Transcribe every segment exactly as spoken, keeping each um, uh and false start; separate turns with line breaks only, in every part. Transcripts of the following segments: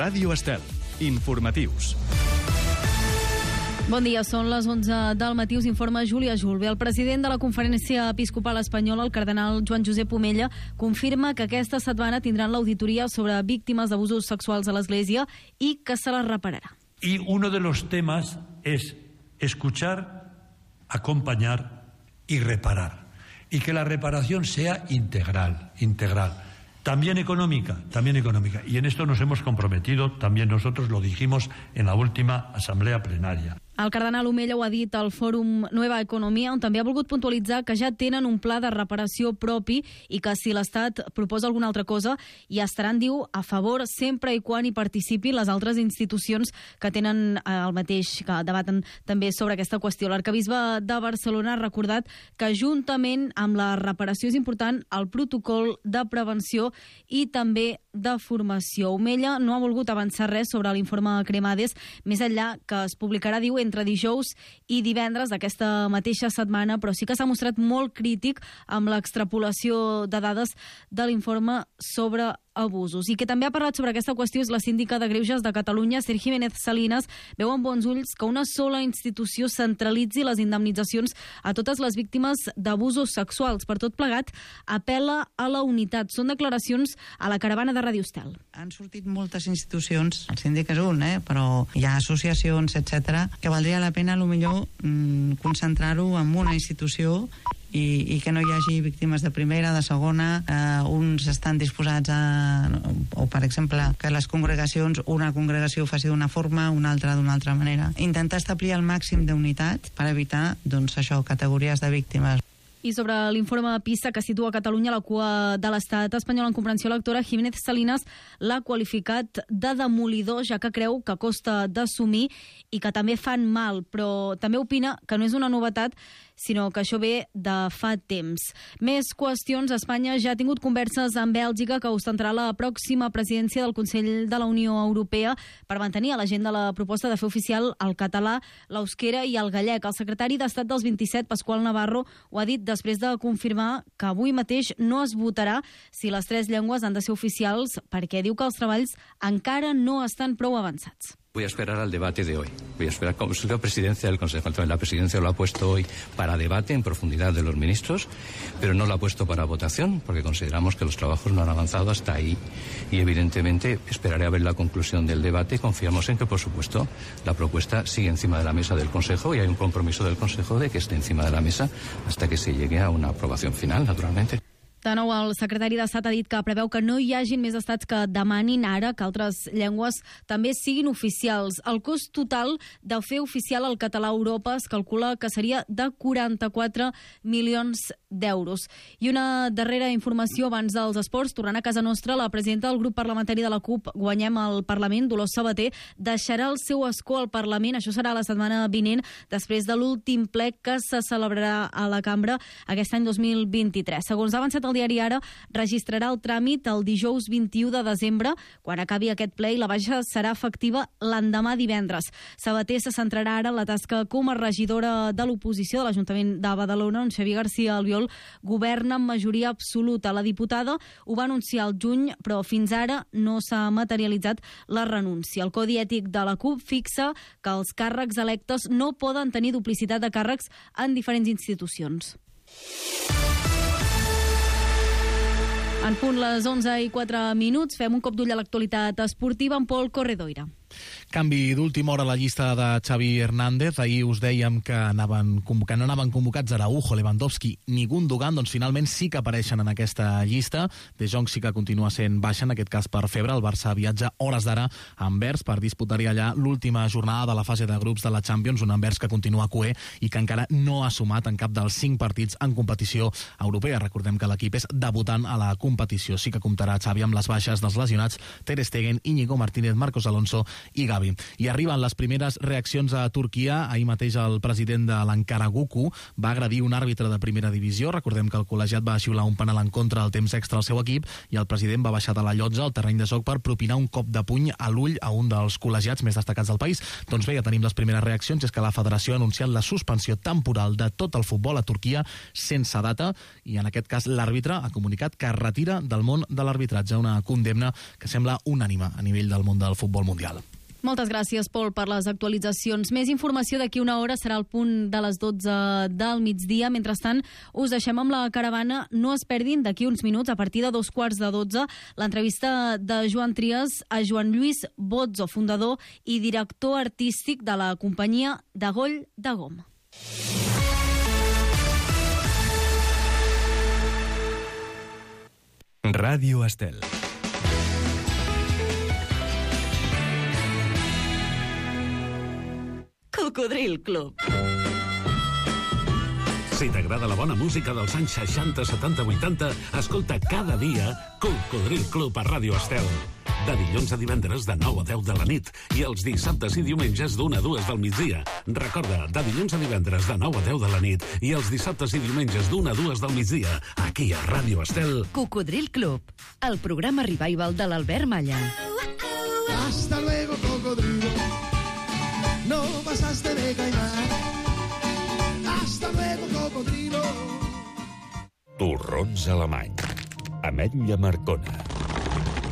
Ràdio Estel. Informatius.
Bon dia, són les onze del matí, us informa Júlia Julve. El president de la Conferència Episcopal Espanyola, el cardenal Joan Josep Omella, confirma que aquesta setmana tindran l'auditoria sobre víctimes d'abusos sexuals a l'Església i que se les repararà.
Y uno de los temas es escuchar, acompañar y reparar. Y que la reparación sea integral, integral. También económica, también económica. Y en esto nos hemos comprometido, también nosotros lo dijimos en la última asamblea plenaria.
El cardenal Omella ho ha dit al Fòrum Nueva Economia, on també ha volgut puntualitzar que ja tenen un pla de reparació propi i que si l'Estat proposa alguna altra cosa hi estaran, diu, a favor sempre i quan hi participin les altres institucions que tenen el mateix, que debaten també sobre aquesta qüestió. L'arquebisbe de Barcelona ha recordat que juntament amb la reparació és important el protocol de prevenció i també de formació. Omella no ha volgut avançar res sobre l'informe Cremades, més enllà que es publicarà, diu, entre dijous i divendres d'aquesta mateixa setmana, però sí que s'ha mostrat molt crític amb l'extrapolació de dades de l'informe sobre abusos. I que també ha parlat sobre aquesta qüestió és la síndica de Greuges de Catalunya, Esther Jiménez Salinas. Veu amb bons ulls que una sola institució centralitzi les indemnitzacions a totes les víctimes d'abusos sexuals. Per tot plegat, apel·la a la unitat. Són declaracions a la caravana de Ràdio Estel.
Han sortit moltes institucions, el síndic és un, eh? però hi ha associacions, etcètera, que valdria la pena, potser, mmm, concentrar-ho en una institució i, i que no hi hagi víctimes de primera, de segona, eh, uns estan disposats a, o per exemple, que les congregacions, una congregació faci d'una forma, una altra d'una altra manera. Intentar establir el màxim d'unitat per evitar, doncs això, categories de víctimes.
I sobre l'informe PISA que situa Catalunya a la cua de l'estat espanyol en comprensió lectora, Jiménez Salinas l'ha qualificat de demolidor, ja que creu que costa d'assumir i que també fan mal, però també opina que no és una novetat, sinó que això ve de fa temps. Més qüestions. Espanya ja ha tingut converses amb Bèlgica, que ostentarà la pròxima presidència del Consell de la Unió Europea, per mantenir a l'agenda la proposta de fer oficial el català, l'eusquera i el gallec. El secretari d'Estat dels vint-i-set, Pasqual Navarro, ho ha dit després de confirmar que avui mateix no es votarà si les tres llengües han de ser oficials, perquè diu que els treballs encara no estan prou avançats.
Voy a esperar al debate de hoy. Voy a esperar, como soy la presidencia del Consejo, la presidencia lo ha puesto hoy para debate en profundidad de los ministros, pero no lo ha puesto para votación, porque consideramos que los trabajos no han avanzado hasta ahí. Y evidentemente esperaré a ver la conclusión del debate. Confiamos en que, por supuesto, la propuesta sigue encima de la mesa del Consejo y hay un compromiso del Consejo de que esté encima de la mesa hasta que se llegue a una aprobación final, naturalmente.
De nou, el secretari d'Estat ha dit que preveu que no hi hagin més estats que demanin ara que altres llengües també siguin oficials. El cost total de fer oficial el català a Europa es calcula que seria de quaranta-quatre milions d'euros. I una darrera informació abans dels esports. Tornant a casa nostra, la presidenta del grup parlamentari de la CUP, Guanyem el Parlament, Dolors Sabater, deixarà el seu escó al Parlament. Això serà la setmana vinent, després de l'últim ple que se celebrarà a la cambra aquest any dos mil vint-i-tres. Segons ha avançat el diari Ara, registrarà el tràmit el dijous vint-i-u de desembre, quan acabi aquest ple, i la baixa serà efectiva l'endemà divendres. Sabater se centrarà ara en la tasca com a regidora de l'oposició de l'Ajuntament de Badalona, on Xavier García Albiol governa amb majoria absoluta. La diputada ho va anunciar al juny, però fins ara no s'ha materialitzat la renúncia. El Codi Ètic de la CUP fixa que els càrrecs electes no poden tenir duplicitat de càrrecs en diferents institucions. En punt les onze i quatre minuts, fem un cop d'ull a l'actualitat esportiva amb Pol Corredoira.
Canvi d'última hora a la llista de Xavi Hernández. Ahir us dèiem que, anaven, que no anaven convocats Araujo, Lewandowski ni Gundogan, doncs finalment sí que apareixen en aquesta llista. De Jong sí que continua sent baixa, en aquest cas per febre. El Barça viatja hores d'ara a Anvers per disputar-hi allà l'última jornada de la fase de grups de la Champions, un Anvers que continua cuer i que encara no ha sumat en cap dels cinc partits en competició europea. Recordem que l'equip és debutant a la competició. Sí que comptarà Xavi amb les baixes dels lesionats Ter Stegen, Íñigo Martínez, Marcos Alonso i Gavi Xavi. I arriben les primeres reaccions a Turquia. Ahir mateix el president de l'Ankaragucu va agredir un àrbitre de primera divisió. Recordem que el col·legiat va xiular un penal en contra al temps extra al seu equip i el president va baixar de la llotja al terreny de joc per propinar un cop de puny a l'ull a un dels col·legiats més destacats del país. Doncs bé, ja tenim les primeres reaccions. És que la federació ha anunciat la suspensió temporal de tot el futbol a Turquia sense data i en aquest cas l'àrbitre ha comunicat que es retira del món de l'arbitratge, una condemna que sembla unànime a nivell del món del futbol mundial.
Moltes gràcies, Pol, per les actualitzacions. Més informació d'aquí una hora, serà el punt de les dotze del migdia. Mentrestant, us deixem amb la caravana. No es perdin d'aquí uns minuts, a partir de dos quarts de dotze, l'entrevista de Joan Trias a Joan Lluís Bozzo, fundador i director artístic de la companyia d'Agoll de Gom.
Ràdio Estel.
Cocodril Club.
Si t'agrada la bona música dels anys seixanta, setanta, vuitanta, escolta cada dia Cocodril Club a Ràdio Estel. De dilluns a divendres de nou a deu de la nit i els dissabtes i diumenges d'una a dues del migdia. Recorda, de dilluns a divendres de nou a deu de la nit i els dissabtes i diumenges d'una a dues del migdia, aquí a Ràdio Estel.
Cocodril Club, el programa revival de l'Albert Malla.
Hasta luego, cocodrilo. No pasaste de caimán. Hasta luego, cocodrilo.
Torrons alemany. Ametlla marcona.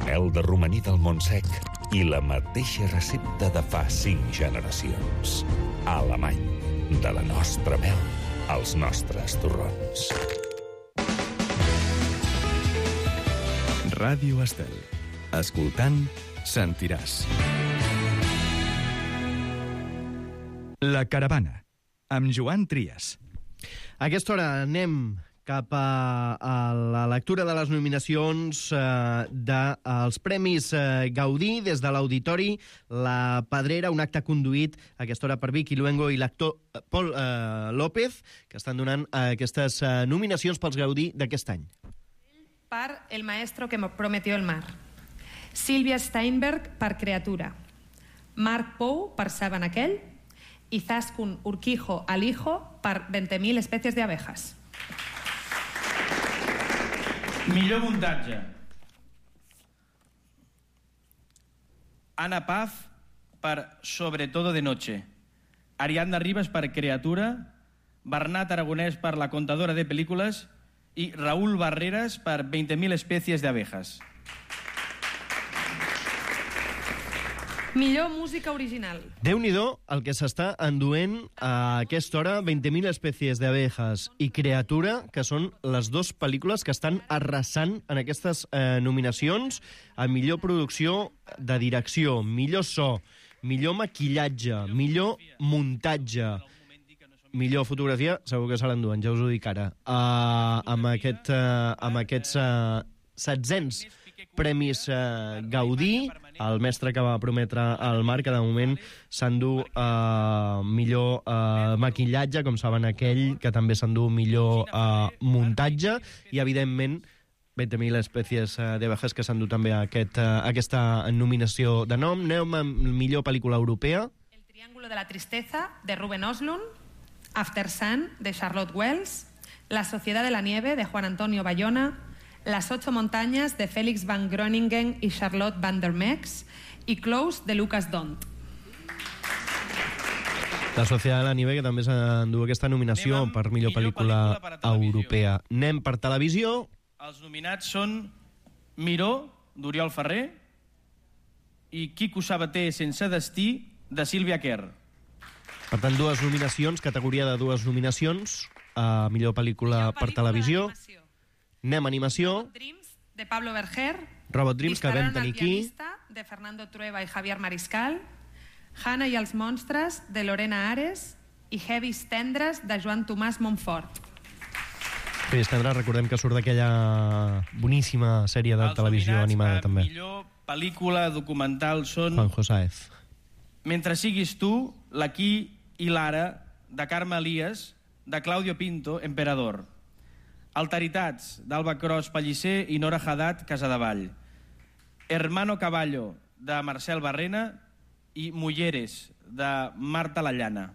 Mel de romaní del Montsec i la mateixa recepta de fa cinc generacions. Alemany. De la nostra mel als nostres torrons.
Ràdio Estel. Escoltant, sentiràs. La caravana, amb Joan Trias.
A aquesta hora anem cap a, a la lectura de les nominacions eh, dels Premis eh, Gaudí des de l'Auditori La Pedrera, un acte conduït a aquesta hora per Vicky Luengo i l'actor Pol eh, López, que estan donant eh, aquestes eh, nominacions pels Gaudí d'aquest any.
Per El maestro que me prometió el mar. Sílvia Steinberg per Creatura. Marc Pou per Saben aquell. I Zaskun Urquijo Alijo per veinte mil especies de abejas.
Millor muntatge. Ana Paz per Sobre todo de noche. Ariadna Rivas per Creatura. Bernat Aragonès per La contadora de películas. I Raúl Barreras per veinte mil especies de abejas.
Millor música original.
Déu-n'hi-do el que s'està enduent a aquesta hora, veinte mil especies d'abejas i Creatura, que són les dues pel·lícules que estan arrasant en aquestes eh, nominacions a millor producció de direcció, millor so, millor maquillatge, millor muntatge, millor fotografia, segur que se l'enduen, ja us ho dic ara. Uh, amb, aquest, uh, amb aquests uh, setzents Premis uh, Gaudí, el mestre que va prometre al Marc, que de moment s'endú uh, millor uh, maquillatge, com saben aquell, que també s'endú millor uh, muntatge, i evidentment veinte mil especies uh, d'abejas que s'endú també aquest, uh, aquesta nominació de nom. Anem amb millor pel·lícula europea.
El triángulo de la tristeza, de Ruben Östlund. After Sun, de Charlotte Wells. La sociedad de la nieve, de Juan Antonio Bayona. Las ocho montañas, de Félix van Groningen y Charlotte van der Mex, i Close, de Lucas Dont.
La Societat de la Nieve, que també s'endú aquesta nominació per millor, millor pel·lícula, pel·lícula europea. Anem per televisió.
Els nominats són Miró, d'Oriol Ferrer, i Quico Sabater, sense destí, de Sílvia Kerr.
Per tant, dues nominacions, categoria de dues nominacions, a millor pel·lícula, per televisió. Anem a animació.
Robot Dreams, de Pablo Berger.
Robot Dreams, que vam tenir aquí.
De Fernando Trueba i Javier Mariscal. Hannah i els monstres, de Lorena Ares. I Heavis tendres, de Joan Tomàs Montfort.
Heavis tendres, recordem que surt d'aquella boníssima sèrie de televisió animada, també.
Millor pel·lícula documental són...
Juan Josáez.
Mentre siguis tu, l'Aquí i l'Ara, de Carme Elias, de Claudio Pinto, Emperador. Alteritats, d'Alba Cros Pellicer i Nora Haddad, Casadevall. Hermano Caballo, de Marcel Barrena. i Mulleres, de Marta Lallana.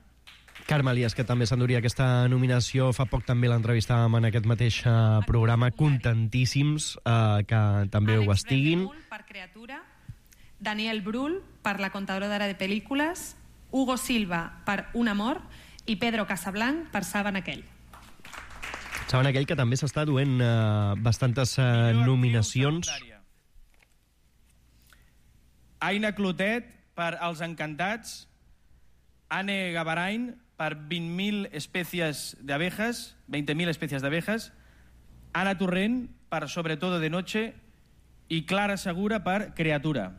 Carme Elias, que també s'enduria aquesta nominació. Fa poc també l'entrevistàvem en aquest mateix uh, programa. Contentíssims uh, que també ho estiguin.
Per Creatura, Daniel Brühl per La contadora de pel·lícules, Hugo Silva per Un amor i Pedro Casablanc per Saben aquell.
Saben aquell que també s'està duent uh, bastantes uh, nominacions.
Aina Clotet per Els encantats, Anne Gavarain per vint mil espècies d'abejas, veinte mil espècies d'abejas, Ana Torrent per Sobre todo de noche i Clara Segura per Creatura.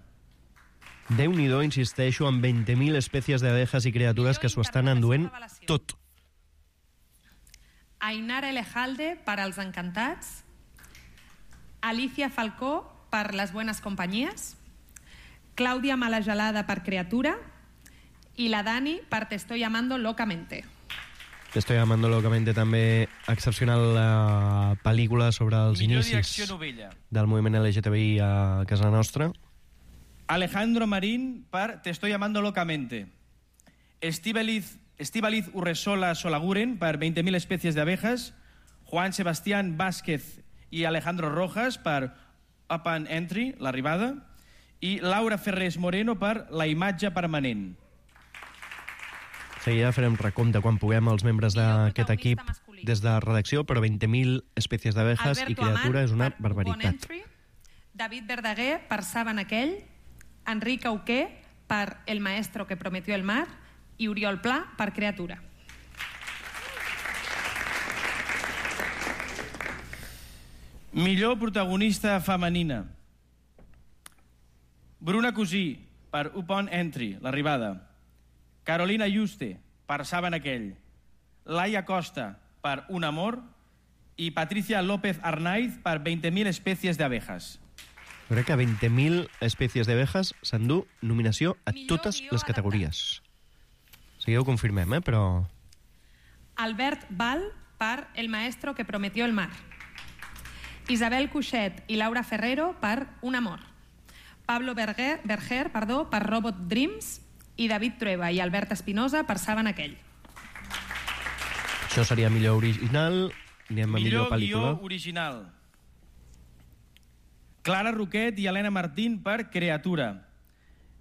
Déu-n'hi-do, insisteixo, amb veinte mil espècies d'abejas i criatures que s'ho estan enduent tot.
Ainara Elejalde per Els encantats, Alicia Falcó per Les buenas compañías, Clàudia Malagelada per Creatura i la Dani per Te estoy amando locamente.
Te estoy amando locamente, també excepcional uh, pel·lícula sobre els
Millor
inicis
direcció novella.
del moviment L G T B I a casa nostra.
Alejandro Marín per Te estoy amando locamente. Estíbaliz, Estíbaliz Urresola Solaguren per veinte mil especies de abejas. Juan Sebastián Vázquez i Alejandro Rojas per Up and Entry, l'arribada. I Laura Ferrés Moreno per La imatge permanent.
Seguida farem recompte quan puguem els membres d'aquest equip des de redacció, però veinte mil espècies d'abejas i criatura és una barbaritat.
Entry, David Verdaguer per Saben aquell, Enric Auqué per El maestro que prometió el mar i Oriol Pla per Creatura.
Millor protagonista femenina. Bruna Cosí per Up on Entry, l'arribada. Carolina Yuste per Saben aquell. Laia Costa per Un amor i Patricia López Arnaiz per veinte mil espècies d'abejas.
Crec que veinte mil espècies d'abejas s'endú nominació a totes les categories. Seguida ho confirmem, eh? Però...
Albert Val per El maestro que prometió el mar. Isabel Cuixet i Laura Ferrero per Un amor. Pablo Berger, Berger perdó, per Robot Dreams i David Trueba i Albert Espinosa per Saben aquell.
Això seria millor original. Anem a millor,
millor
pel·lícula.
Guió original. Clara Roquet i Helena Martín per Creatura.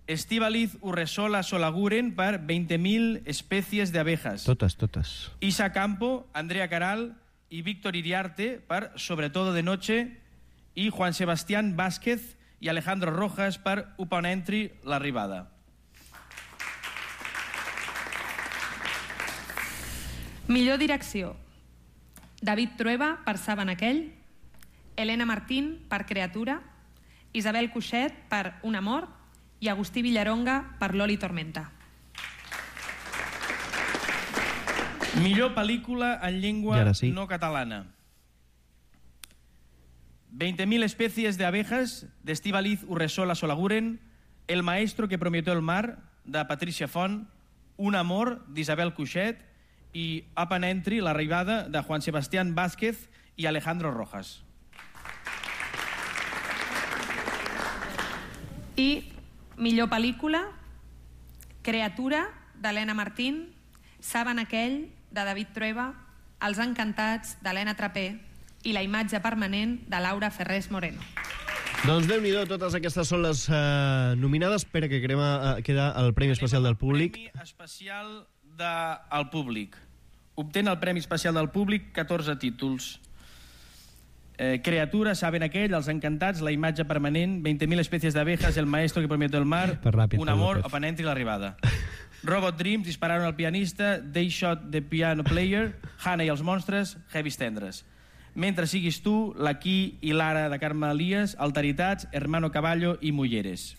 Estíbaliz Urresola Solaguren per veinte mil espècies d'abejas.
Totes, totes.
Isa Campo, Andrea Caral i Víctor Iriarte per Sobre todo de noche i Juan Sebastián Vázquez i Alejandro Rojas per Up on Entry, l'arribada.
Millor direcció. David Trueba per Saben aquell, Helena Martín per Creatura, Isabel Cuixet per Un amor i Agustí Villaronga per Loli Tormenta.
Millor pel·lícula en llengua
sí.
no catalana. veinte mil especies de abejas de Estíbaliz Urresola Solaguren, El maestro que prometió el mar de Patricia Font, Un amor d'Isabel Cuixet i Up and Entry, l'arribada de Juan Sebastián Vázquez i Alejandro Rojas.
I millor pel·lícula, Creatura d'Helena Martín, Saben aquell de David Trueba, Els encantats d'Helena Trapé i La imatge permanent de Laura Ferrés Moreno.
Doncs Déu-n'hi-do, totes aquestes són les uh, nominades. Espera que crema, uh, queda el Premi Especial del Públic.
Premi Especial del Públic. Obtén el Premi Especial del Públic catorze títols. Eh, Creatura, Saben aquell, Els encantats, La imatge permanent, veinte mil espècies d'abejas, El maestro que prometió el mar,
ràpid,
Un amor, Up and Entry, l'arribada. Robot Dreams, Dispararon al pianista, They Shot the Piano Player, Hannah i els monstres, Heavis tendres. Mentre siguis tu, l'Aquí i l'Ara de Carme Elias, Alteritats, Hermano Caballo i Mulleres.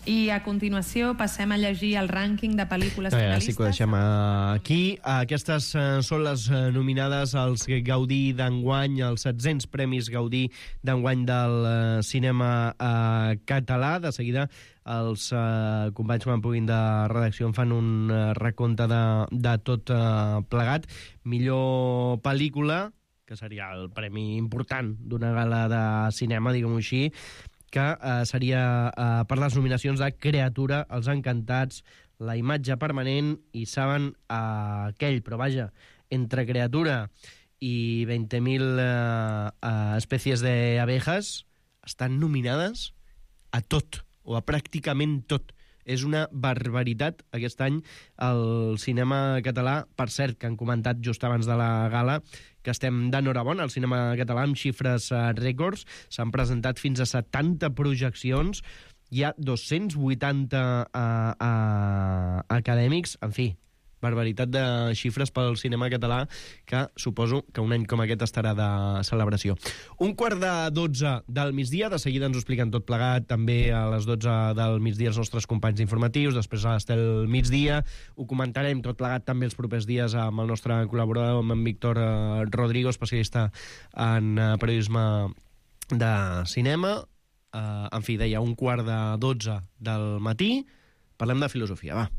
I a continuació passem a llegir el rànquing de pel·lícules
Ja,
finalistes.
sí que ho deixem aquí. Aquestes uh, són les uh, nominades als Gaudí d'enguany, els set-cents premis Gaudí d'enguany del uh, cinema uh, català. De seguida els uh, companys quan puguin de redacció en fan un uh, recompte de, de tot uh, plegat. Millor pel·lícula, que que seria el premi important d'una gala de cinema, diguem-ho així, que eh, seria eh, per les nominacions de Creatura, Els Encantats, La imatge permanent i Saben eh, aquell, però vaja, entre Creatura i veinte mil eh, eh, especies de abejas estan nominades a tot, o a pràcticament tot. És una barbaritat aquest any al cinema català. Per cert, que han comentat just abans de la gala que estem d'enhorabona al cinema català amb xifres eh, rècords. S'han presentat fins a setanta projeccions. Hi ha dos-cents vuitanta eh, eh, acadèmics. En fi, barbaritat de xifres pel cinema català, que suposo que un any com aquest estarà de celebració. Un quart de dotze del migdia, de seguida ens ho expliquen tot plegat, també a les dotze del migdia els nostres companys informatius, després a l'Estel migdia, ho comentarem tot plegat també els propers dies amb el nostre col·laborador, amb en Víctor eh, Rodrigo, especialista en eh, periodisme de cinema. Eh, en fi, deia, un quart de dotze del matí, parlem de filosofia, va.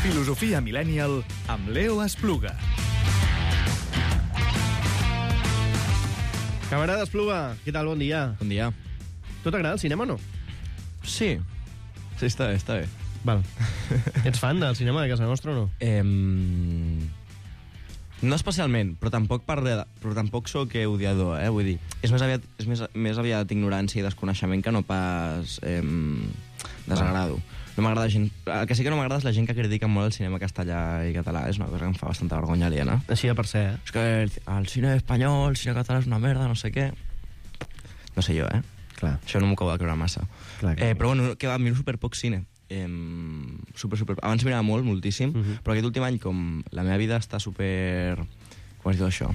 Filosofia Millennial amb Leo Espluga.
Camarada Espluga, què tal? Bon dia.
Bon dia.
Tu t'agrada el cinema o no?
Sí. Sí, està bé, està bé.
Val. Ets fan del cinema de casa nostra o no?
Eh, no especialment, però tampoc, per, però tampoc sóc odiador, eh? Vull dir, és més aviat, és més, més aviat ignorància i desconeixement que no pas eh, desagrado. No m'agrada gent... El que sí que no m'agrada és la gent que critica molt el cinema castellà i català. És una cosa que em fa bastanta vergonya aliena.
Així de per ser, eh?
És que el, el cine espanyol, el cine català és una merda, no sé què. No sé jo, eh?
Clar.
Això no m'ho acabo de creure massa.
Clar, clar.
Eh, però bueno, que va, miro super poc cine. Eh, super, super... Abans mirava molt, moltíssim, uh -huh. però aquest últim any, com la meva vida està super... Com es diu això?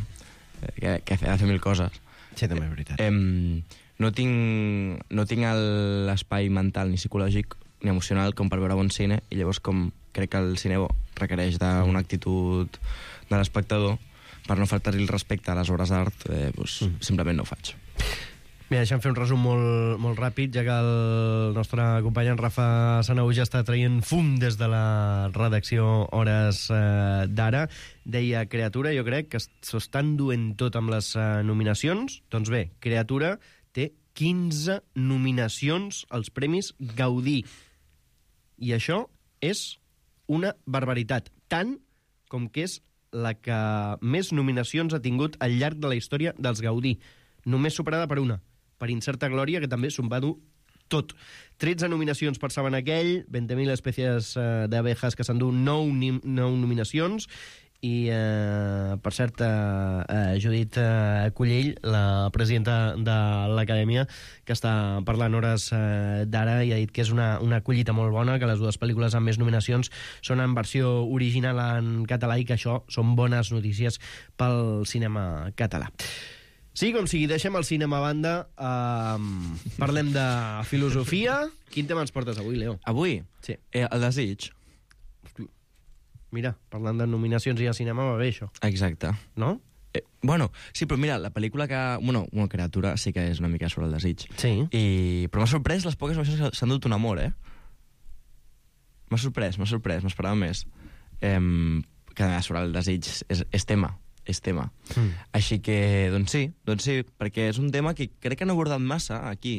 Eh, que, que hace, hace mil coses.
Sí, també és veritat.
Eh, no tinc, no tinc l'espai mental ni psicològic ni emocional com per veure bon cine, i llavors com crec que el cine requereix d'una actitud de l'espectador, per no faltar-li el respecte a les obres d'art, eh, doncs, mm. simplement no ho faig.
Mira, deixa'm fer un resum molt, molt ràpid, ja que el nostre company en Rafa Sanau ja està traient fum des de la redacció Hores eh, d'ara. Deia Creatura, jo crec que s'ho estan duent tot amb les eh, nominacions. Doncs bé, Creatura té quinze nominacions als Premis Gaudí. I això és una barbaritat, tant com que és la que més nominacions ha tingut al llarg de la història dels Gaudí, només superada per una, per Incerta Glòria, que també s'ho va dur tot. tretze nominacions per Saben aquell, veinte mil especies eh, d'abejas que s'endú nou, nou nominacions, i, eh, per cert, eh, eh, Judit eh, Collell, la presidenta de l'Acadèmia, que està parlant Hores eh, d'ara, i ha dit que és una, una collita molt bona, que les dues pel·lícules amb més nominacions són en versió original en català i que això són bones notícies pel cinema català. Sí, com sigui, deixem el cinema a banda, eh, parlem de filosofia. Quin tema ens portes avui, Leo?
Avui?
Sí.
Eh, el desig.
Mira, parlant de nominacions i de cinema va bé, això.
Exacte.
No?
Eh, bueno, sí, però mira, la pel·lícula que... Bueno, una Creatura sí que és una mica sobre el desig.
Sí.
I... Però m'ha sorprès les poques nominacions que s'han dut un amor, eh? M'ha sorprès, m'ha sorprès, m'esperava més. Eh, que sobre el desig és, és tema, és tema. Mm. Així que, doncs sí, doncs sí, perquè és un tema que crec que no he abordat massa aquí,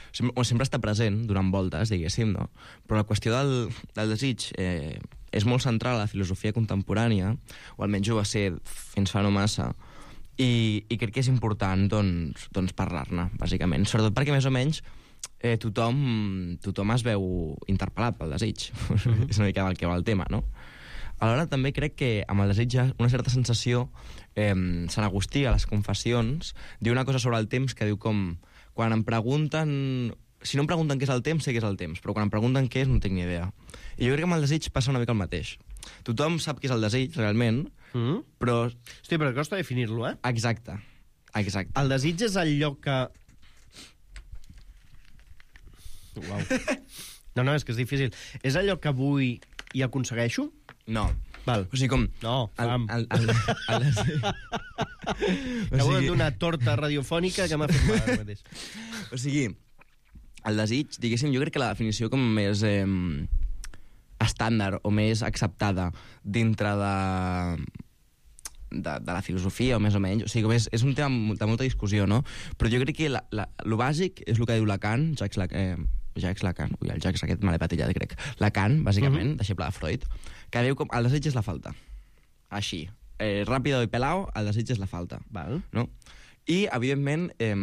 sempre, sempre està present durant voltes, diguéssim, no? Però la qüestió del, del desig eh, és molt central a la filosofia contemporània, o almenys ho va ser fins fa no massa, i, i crec que és important doncs, doncs parlar-ne, bàsicament. Sobretot perquè més o menys eh, tothom, tothom es veu interpel·lat pel desig. Mm-hmm. És una mica el que va el tema, no? Alhora també crec que amb el desig hi ha una certa sensació, eh, Sant Agustí a les Confessions diu una cosa sobre el temps que diu com quan em pregunten, si no em pregunten què és el temps, sé què és el temps, però quan em pregunten què és no tinc ni idea. I jo crec que amb el desig passa una mica el mateix. Tothom sap què és el desig, realment, mm. però...
Hosti, però costa definir-lo, eh?
Exacte, exacte.
El desig és el lloc que... Uau. No, no, és que és difícil. És allò que vull i aconsegueixo?
No.
Val.
O sigui, com...
No, fam.
El, el, el, el,
Acabo de donar torta radiofònica que m'ha fet mal ara mateix.
O sigui, el desig, diguéssim, jo crec que la definició com més eh, estàndard o més acceptada dintre de, de, de la filosofia, o més o menys, o sigui, és, és un tema de molta discussió, no? Però jo crec que la, la, lo bàsic és el que diu Lacan, Jacques Lacan, eh, Jacques Lacan, ui, el Jacques aquest me l'he patillat, crec. Lacan, bàsicament, uh-huh. deixeble de Freud, que diu com el desig és la falta. Així, eh, ràpido i pelao, el desig és la falta.
Val.
No? I, evidentment, eh,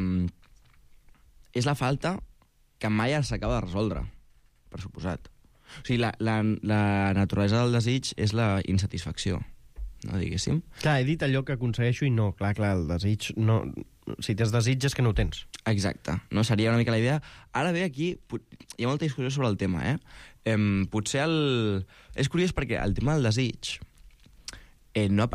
és la falta que mai s'acaba de resoldre, per suposat. O sigui, la, la, la naturalesa del desig és la insatisfacció, no, diguéssim.
Clar, he dit allò que aconsegueixo i no. Clar, clar, el desig no... Si tens desig és que no ho tens.
Exacte, no? Seria una mica la idea. Ara bé, aquí hi ha molta discussió sobre el tema, eh? eh potser el... És curiós perquè el tema del desig eh, no...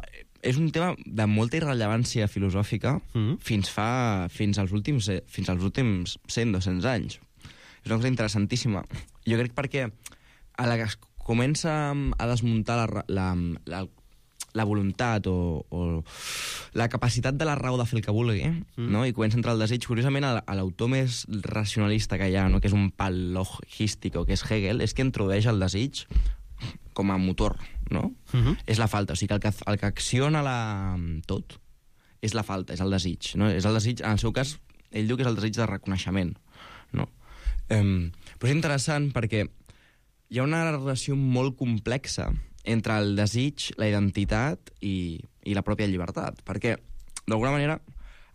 és un tema de molta irrellevància filosòfica mm. fins fa... fins als últims, fins als últims cent o dos-cents anys. És una cosa interessantíssima. Jo crec perquè a la que es comença a desmuntar la, la, la, la voluntat o, o la capacitat de la raó de fer el que vulgui, mm. no? I comença a entrar el desig. Curiosament, a l'autor més racionalista que hi ha, no? Que és un pal logístic, que és Hegel, és que introdueix el desig com a motor, no? Mm-hmm. És la falta. O sigui, que el que, el que acciona la, tot és la falta, és el desig. No? És el desig, en el seu cas, ell diu que és el desig de reconeixement, no? Um, però és interessant perquè hi ha una relació molt complexa entre el desig, la identitat i, i la pròpia llibertat. Perquè, d'alguna manera,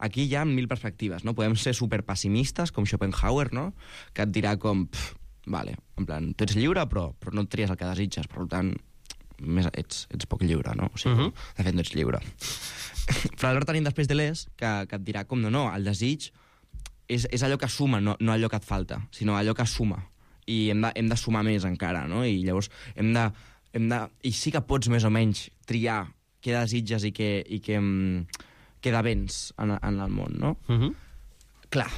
aquí hi ha mil perspectives, no? Podem ser superpessimistes, com Schopenhauer, no? Que et dirà com, pff, vale, en plan, tu ets lliure, però, però no et tries el que desitges, per tant, més, ets, ets poc lliure, no? O sigui, uh-huh. de fet, no ets lliure. Però alhora tenim després Deleuze, que, que et dirà com, no, no, el desig és, és allò que suma, no, no allò que et falta, sinó allò que suma. I hem de, hem de sumar més encara, no? I llavors hem de, hem de... I sí que pots més o menys triar què desitges i què, i què, què de béns en, en el món, no? Uh-huh. Clar,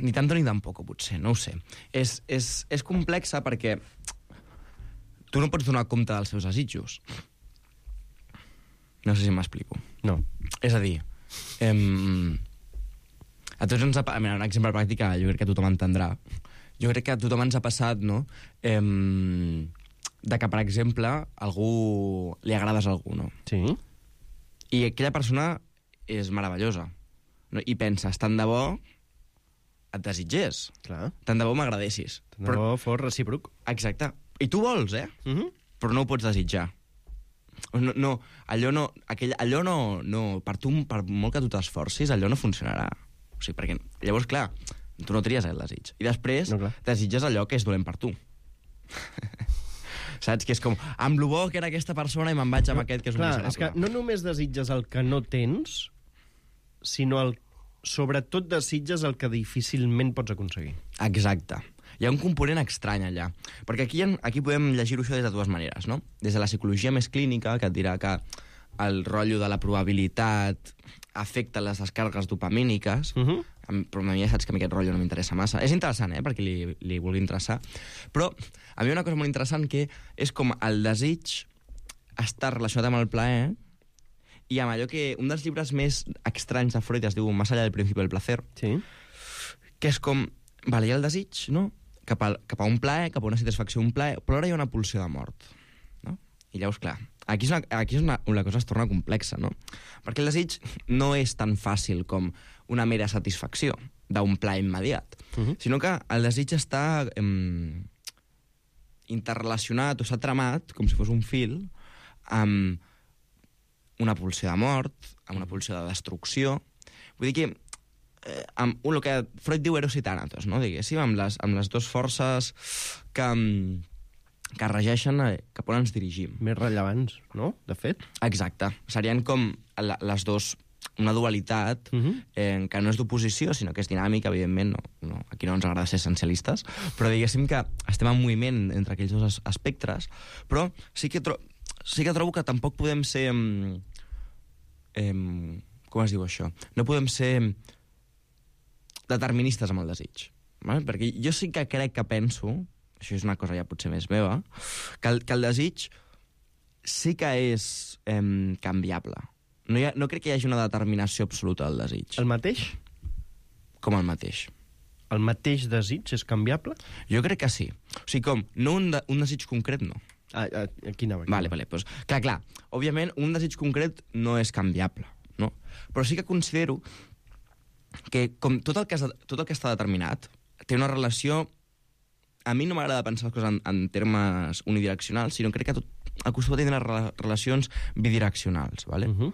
ni tanto ni tampoco, potser, no ho sé. És, és, és complexa perquè tu no pots donar compte dels seus desitjos. No sé si m'explico.
No.
És a dir, em... a tots ens ha... Mira, un exemple pràctic que jo crec que tothom entendrà. Jo crec que a tothom ens ha passat, no?, em... de que, per exemple, algú... li agrades a algú, no?
Sí.
I aquella persona és meravellosa. No? I penses, tant de bo et desitgés.
Clar.
Tant de bo m'agradessis.
Tant de Però... bo fos recíproc.
Exacte. I tu vols, eh? Uh-huh. Però no ho pots desitjar. No, no, allò no... Aquell, allò no, no... Per tu, per molt que tu t'esforcis, allò no funcionarà. O sigui, perquè... Llavors, clar, tu no tries el desig. I després no, desitges allò que és dolent per tu. Saps? Que és com, amb lo bo que era aquesta persona i me'n vaig amb no, aquest que és un
clar,
miserable.
És que no només desitges el que no tens, sinó el, sobretot desitges el que difícilment pots aconseguir.
Exacte. Hi ha un component estrany allà. Perquè aquí, aquí podem llegir-ho això des de dues maneres, no? Des de la psicologia més clínica, que et dirà que el rotllo de la probabilitat afecta les descargues dopamíniques, uh-huh. però a mi ja saps que a mi aquest rotllo no m'interessa massa. És interessant, eh?, perquè li, li vulgui interessar. Però a mi una cosa molt interessant que és com el desig està relacionat amb el plaer i amb allò que... Un dels llibres més estranys de Freud es diu Más allá del principio del placer,
sí.
Que és com... Vale, hi ha el desig, no?, cap a, cap a un plaer, cap a una satisfacció, un plaer, però ara hi ha una pulsió de mort, no? I llavors, clar, aquí és, una, aquí és una, una cosa es torna complexa, no? Perquè el desig no és tan fàcil com una mera satisfacció d'un plaer immediat, uh-huh. sinó que el desig està em, interrelacionat o s'ha tramat, com si fos un fil, amb una pulsió de mort, amb una pulsió de destrucció. Vull dir que eh, amb el que Freud diu eros i tànatos, no? Diguéssim, amb les, amb les dues forces que... que regeixen cap on ens dirigim.
Més rellevants, no?, de fet.
Exacte. Serien com la, les dos, una dualitat uh-huh. eh, que no és d'oposició, sinó que és dinàmica, evidentment. No, no, aquí no ens agrada ser essencialistes, però diguéssim que estem en moviment entre aquells dos espectres, però sí que, tro sí que trobo que tampoc podem ser... Eh, com es diu això? No podem ser deterministes amb el desig. Vale? Perquè jo sí que crec que penso... això és una cosa ja potser més meva, que el, que el desig sí que és eh, canviable. No, hi ha, no crec que hi hagi una determinació absoluta del desig.
El mateix?
Com el mateix.
El mateix desig és canviable?
Jo crec que sí. O sigui, com, no un, de, un desig concret, no.
Ah, ah, aquí anava. Aquí
vale, vale, pues, clar, clar, òbviament, un desig concret no és canviable, no? Però sí que considero que, com tot el que, és, tot el que està determinat, té una relació... A mi no m'agrada pensar les coses en, en termes unidireccionals, sinó crec que tot acostuma a tenir re relacions bidireccionals, ¿vale? Uh -huh.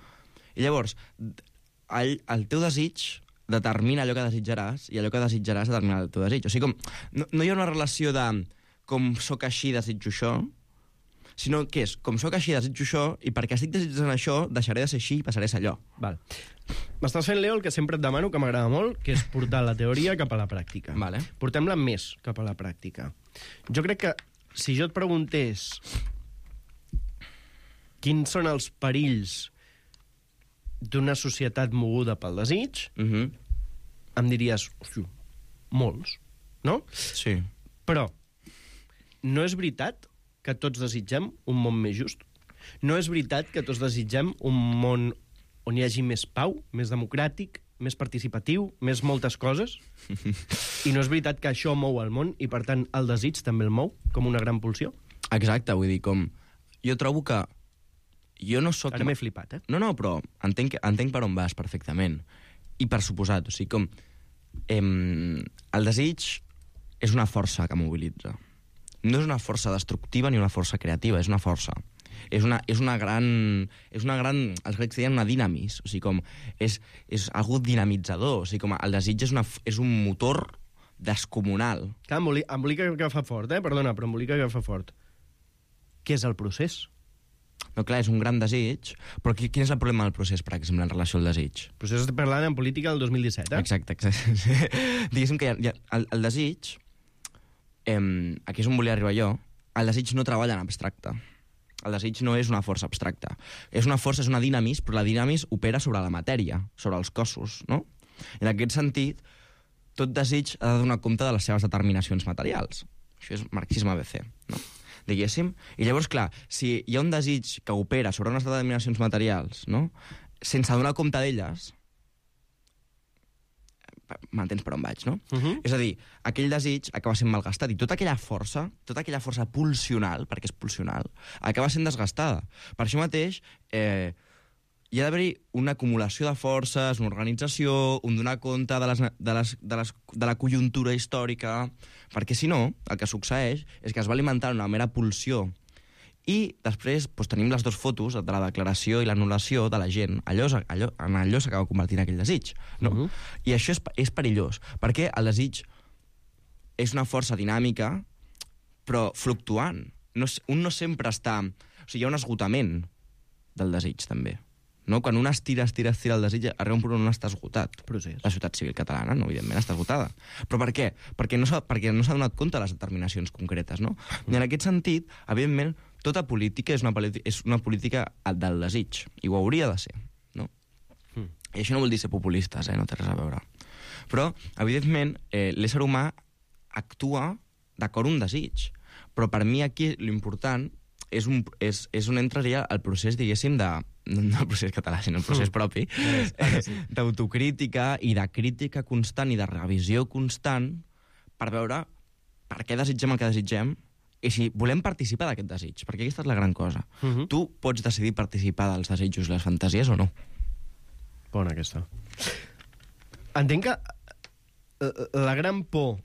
I llavors, el, el teu desig determina allò que desitjaràs i allò que desitjaràs determina el teu desig. O sigui, com, no, no hi ha una relació de com sóc així, desitjo això, sinó que és com sóc així, desitjo això, i perquè estic desitjant això, deixaré de ser així i passaré a ser allò.
Val. M'estàs fent, Leo, el que sempre et demano, que m'agrada molt, que és portar la teoria cap a la pràctica.
Vale.
Portem-la més cap a la pràctica. Jo crec que si jo et preguntés quins són els perills d'una societat moguda pel desig,
uh -huh.
em diries, hosti, molts, no?
Sí.
Però no és veritat que tots desitgem un món més just? No és veritat que tots desitgem un món on hi hagi més pau, més democràtic, més participatiu, més moltes coses? I no és veritat que això mou el món i, per tant, el desig també el mou com una gran pulsió?
Exacte, vull dir, com... Jo trobo que... Jo no soc...
Ara m'he flipat, eh?
No, no, però entenc, entenc per on vas perfectament. I per suposat, o sigui, com... Em, el desig és una força que mobilitza. No és una força destructiva ni una força creativa, és una força. És una, és una gran... És una gran... Els grecs deien una dinamis, o sigui, com... És, és algú dinamitzador, o sigui, com el desig és, una, és un motor descomunal.
Clar, embolica, embolica que fa fort, eh? Perdona, però embolica que fa fort. Què és el procés?
No, clar, és un gran desig, però quin és el problema del procés, per exemple, en relació al desig?
El procés estem parlant en política del dos mil disset, eh?
Exacte, exacte. Diguéssim que hi ha, hi ha, el, el desig, eh, aquí és on volia arribar jo, el desig no treballa en abstracte. El desig no és una força abstracta. És una força, és una dinamis, però la dinamis opera sobre la matèria, sobre els cossos, no? I en aquest sentit, tot desig ha de donar compte de les seves determinacions materials. Això és marxisme A B C, no? Diguéssim. I llavors, clar, si hi ha un desig que opera sobre unes determinacions materials, no? Sense donar compte d'elles, m'entens per on vaig, no?
Uh -huh.
És a dir, aquell desig acaba sent malgastat i tota aquella força, tota aquella força pulsional, perquè és pulsional, acaba sent desgastada. Per això mateix, eh, hi ha d'haver-hi una acumulació de forces, una organització, un donar compte de, les, de, les, de, les, de la conjuntura històrica, perquè si no, el que succeeix és que es va alimentar una mera pulsió i després doncs, tenim les dues fotos de la declaració i l'anul·lació de la gent. Allò, allò, en allò s'acaba convertint aquell desig. No? Uh -huh. I això és, és perillós, perquè el desig és una força dinàmica, però fluctuant. No, un no sempre està... O sigui, hi ha un esgotament del desig, també. No? Quan un estira, estira, estira el desig, arriba un punt on està esgotat.
Procés.
La societat civil catalana, no, evidentment, està esgotada. Però per què? Perquè no s'ha perquè no s'ha donat compte de les determinacions concretes, no? I en aquest sentit, evidentment, tota política és una, és una política del desig, i ho hauria de ser, no? Mm. I això no vol dir ser populistes, eh? No té res a veure. Però, evidentment, eh, l'ésser humà actua d'acord un desig. Però per mi aquí l'important és, un, és, és on entraria el procés, diguéssim, de... no el procés català, sinó el procés propi, eh, d'autocrítica i de crítica constant i de revisió constant per veure per què desitgem el que desitgem i si volem participar d'aquest desig, perquè aquesta és la gran cosa. Uh -huh. Tu pots decidir participar dels desitjos i les fantasies o no?
Bona aquesta. Entenc que la gran por,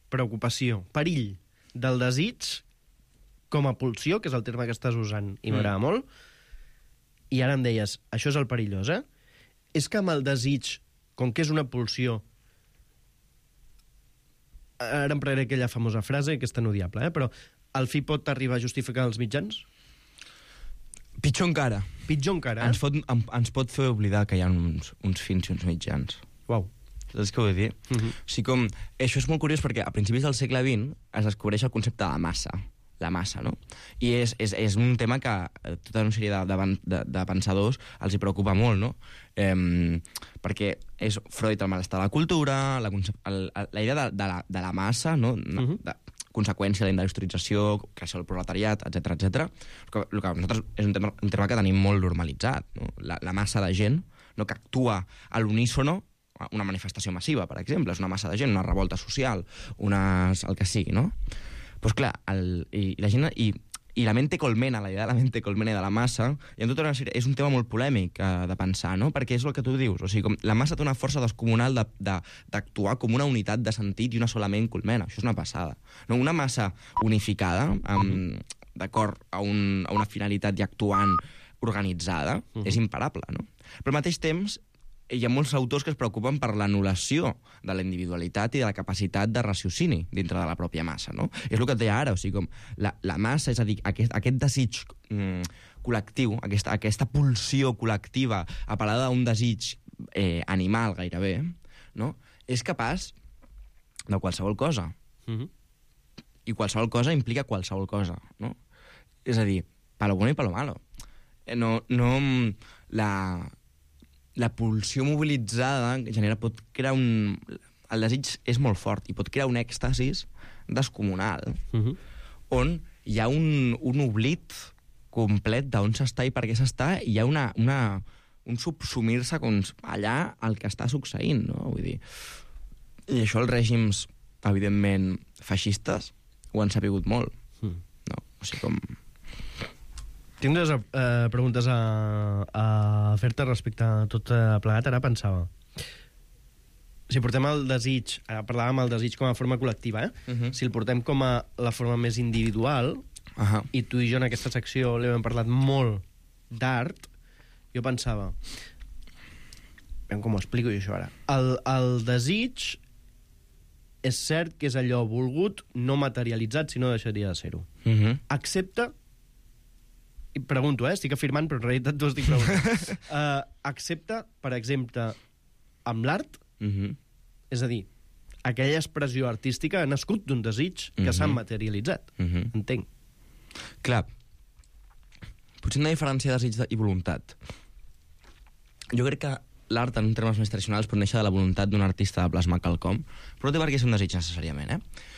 preocupació, perill del desig com a pulsió, que és el terme que estàs usant i m'agrada mm. molt, i ara em deies, això és el perillós, eh? És que amb el desig, com que és una pulsió, ara empraré aquella famosa frase, que és tan odiable, eh? Però el fi pot arribar a justificar els mitjans?
Pitjor encara.
Pitjor encara, eh?
Ens pot, ens pot fer oblidar que hi ha uns, uns fins i uns mitjans.
Uau.
Saps què vull dir? Uh -huh. O sigui, com... Això és molt curiós perquè a principis del segle vint es descobreix el concepte de la massa. La massa, no? I és, és, és un tema que tota una sèrie de, de, de pensadors els hi preocupa molt, no? Eh, perquè és Freud el malestar de la cultura, la, concep... el, la idea de, de, la, de la massa, no? Uh -huh. de, conseqüència de la industrialització, creixement del proletariat, etcètera, etcètera. El que, el que nosaltres és un tema, un tema que tenim molt normalitzat, no? La, la massa de gent, no, que actua a l'unísono, una manifestació massiva, per exemple, és una massa de gent, una revolta social, unes, el que sigui, no? Doncs clar, el, i, i la gent... I, I la mente colmena, la idea de la mente colmena de la massa, i en tota una sèrie, és un tema molt polèmic eh, de pensar, no? Perquè és el que tu dius, o sigui, com la massa té una força descomunal d'actuar de, de, com una unitat de sentit i una sola ment colmena, això és una passada. No? Una massa unificada, amb, d'acord a, un, a una finalitat i actuant organitzada, uh -huh. és imparable, no? Però al mateix temps, hi ha molts autors que es preocupen per l'anul·lació de la individualitat i de la capacitat de raciocini dintre de la pròpia massa, no? És el que et deia ara, o sigui, com la, la massa, és a dir, aquest, aquest desig mm, col·lectiu, aquesta, aquesta pulsió col·lectiva apel·lada a un desig eh, animal gairebé, no? És capaç de qualsevol cosa. Mm-hmm. I qualsevol cosa implica qualsevol cosa, no? És a dir, palo bueno i palo malo. No, no la... la pulsió mobilitzada genera, pot crear un... El desig és molt fort i pot crear un èxtasis descomunal, uh-huh. on hi ha un, un oblit complet d'on s'està i per què s'està, i hi ha una, una, un subsumir-se allà el que està succeint, no? Vull dir, i això els règims, evidentment, feixistes ho han sabut molt. Mm. No? O sigui, com...
Tinc dues eh, preguntes a, a fer-te respecte a tot eh, plegat. Ara pensava, si portem el desig, ara parlàvem del desig com a forma col·lectiva, eh? Uh-huh. Si el portem com a la forma més individual, uh-huh. i tu i jo en aquesta secció l'hem parlat molt d'art, jo pensava, veiem com ho explico jo això ara, el, el desig és cert que és allò volgut, no materialitzat, si no deixaria de ser-ho. Uh-huh. Excepte, i pregunto, eh? Estic afirmant, però en realitat t'ho estic preguntant. uh, excepte, per exemple, amb l'art, uh-huh. és a dir, aquella expressió artística ha nascut d'un desig que uh-huh. s'ha materialitzat. Uh-huh. Entenc.
Clar, potser una diferència de desig i voluntat. Jo crec que l'art, en termes més tradicionals, pot néixer de la voluntat d'un artista de plasmar quelcom, però no té per què ser un desig necessàriament, eh?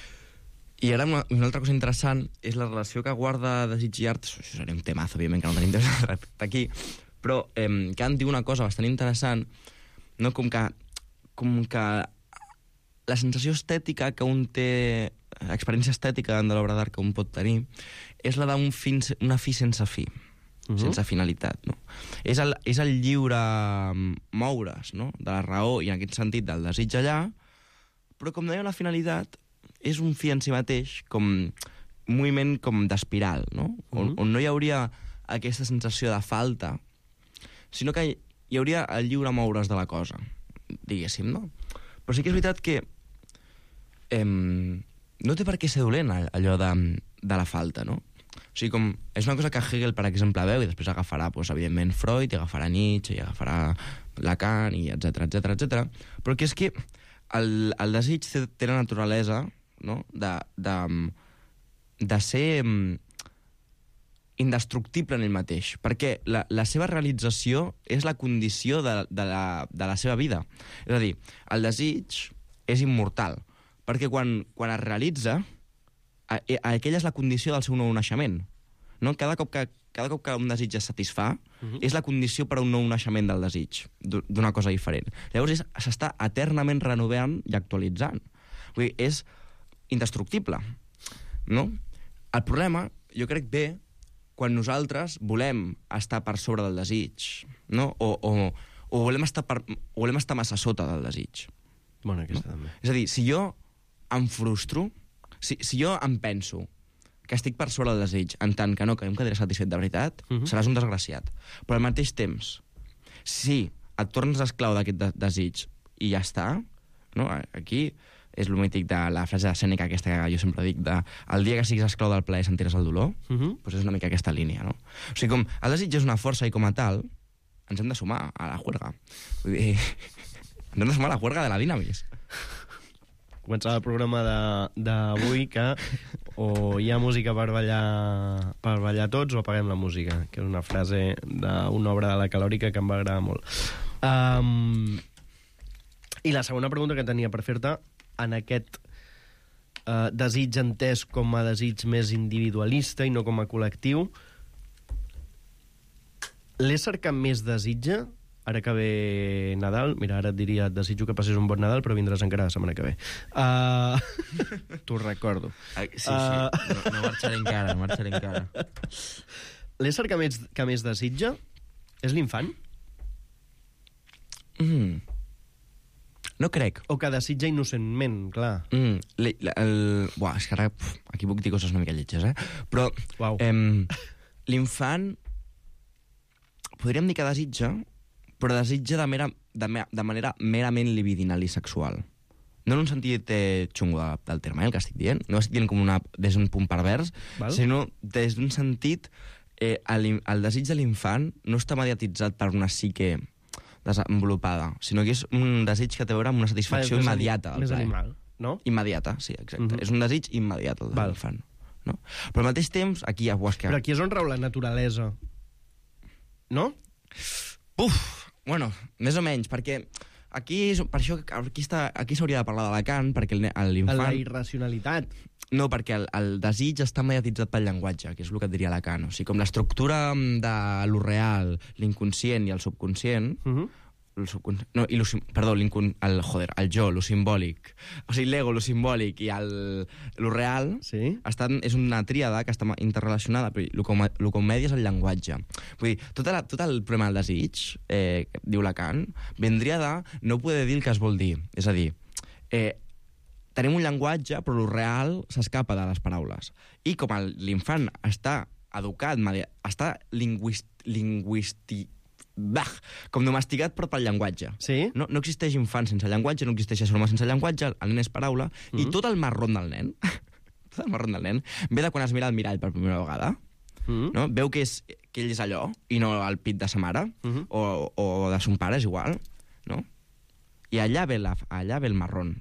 I ara una, una altra cosa interessant és la relació que guarda desig i art. Això seria un temazo, òbviament, que no tenim temps de tractar aquí, però eh, Kant diu una cosa bastant interessant, no? com, que, com que la sensació estètica que un té, l'experiència estètica de l'obra d'art que un pot tenir, és la d'un fin, una fi sense fi, uh-huh. sense finalitat. No? És, el, és el lliure moure's, no? de la raó, i en aquest sentit del desig allà, però com no hi ha una finalitat, és un fi en si mateix, com un moviment com d'espiral, no? On, on no hi hauria aquesta sensació de falta, sinó que hi hauria el lliure moure's de la cosa, diguéssim, no? Però sí que és veritat que eh, no té per què ser dolent allò de, de la falta, no? O sigui, com, és una cosa que Hegel, per exemple, veu, i després agafarà, doncs, evidentment, Freud, i agafarà Nietzsche, i agafarà Lacan, i etcètera, etcètera, etcètera, però que és que el, el desig té, té la naturalesa, no? de, de, de ser um, indestructible en ell mateix, perquè la, la seva realització és la condició de, de, la, de la seva vida. És a dir, el desig és immortal, perquè quan, quan es realitza, a, a, aquella és la condició del seu nou naixement. No? Cada cop que, cada cop que un desig es satisfà, uh-huh. és la condició per a un nou naixement del desig, d'una cosa diferent. Llavors s'està eternament renovant i actualitzant. Vull dir, és indestructible, no? El problema, jo crec, ve quan nosaltres volem estar per sobre del desig, no? O, o, o, volem, estar per, o volem estar massa sota del desig.
Bona, aquesta
no?
també.
És a dir, si jo em frustro, si, si jo em penso que estic per sobre del desig, en tant que no, que em quedaré satisfet de veritat, uh-huh. seràs un desgraciat. Però al mateix temps, si et tornes esclau d'aquest de desig i ja està, no? Aquí és el mític de la frase de Sèneca, aquesta que jo sempre dic, de el dia que siguis esclau del plaer sentiràs el dolor, uh-huh. doncs és una mica aquesta línia, no? O sigui, com el desig és una força i com a tal, ens hem de sumar a la juerga. Vull dir, ens hem de sumar a la juerga de la dinamis.
Començava el programa d'avui que o hi ha música per ballar, per ballar tots o apaguem la música, que és una frase d'una obra de la Calòrica que em va agradar molt. Um, I la segona pregunta que tenia per fer-te, en aquest uh, desig entès com a desig més individualista i no com a col·lectiu. L'ésser que més desitja, ara que ve Nadal, mira, ara et diria, et desitjo que passis un bon Nadal, però vindràs encara la setmana que ve. Uh, T'ho recordo.
Uh, sí, sí, uh... no, no marxaré encara, no marxaré encara.
L'ésser que més, que més desitja és l'infant?
Mm. No crec.
O que desitja innocentment, clar.
Mm. El, el... Buah, és que ara pf, aquí puc dir coses una mica lletges, eh? Però
wow.
em, l'infant podríem dir que desitja, però desitja de, mera, de, me, de manera merament libidinal i sexual. No en un sentit eh, xungo de, del terme, eh, el que estic dient. No estic dient com una, des d'un punt pervers, val? Sinó des d'un sentit... Eh, el, el desig de l'infant no està mediatitzat per una psique desenvolupada, sinó que és un desig que té a veure amb una satisfacció
més
immediata.
Més animal, no?
Immediata, sí, exacte.
Uh-huh.
És un desig immediat, el de l'infant. No? Però al mateix temps, aquí ja ho has que...
Però aquí és on rau la naturalesa, no?
Uf, bueno, més o menys, perquè aquí, per això, aquí, està, aquí s'hauria de parlar de Lacan, perquè l'infant...
La irracionalitat.
No, perquè el, el desig està mediatitzat pel llenguatge, que és el que et diria Lacan. O sigui, com l'estructura de lo real, l'inconscient i el subconscient... Uh-huh. El subconscient, no, i lo, perdó, el, joder, el jo, lo simbòlic, o sigui, l'ego, lo simbòlic i el, lo real,
sí?
estan, és una tríada que està interrelacionada, però el que, el que media és el llenguatge. Vull dir, tot, la, tot el problema del desig, eh, diu Lacan, vindria de no poder dir el que es vol dir. És a dir, eh, tenim un llenguatge, però lo real s'escapa de les paraules. I com l'infant està educat, està lingüist, lingüístic, bah, com domesticat però pel llenguatge.
Sí?
No, no existeix infant sense llenguatge, no existeix ésser humà sense llenguatge, el nen és paraula, mm-hmm. i tot el marron del nen, tot el marron del nen, ve de quan es mira al mirall per primera vegada, mm-hmm. no? Veu que, és, que ell és allò, i no el pit de sa mare, mm-hmm. o, o de son pare, és igual, no? I allà ve, la, allà ve el marron,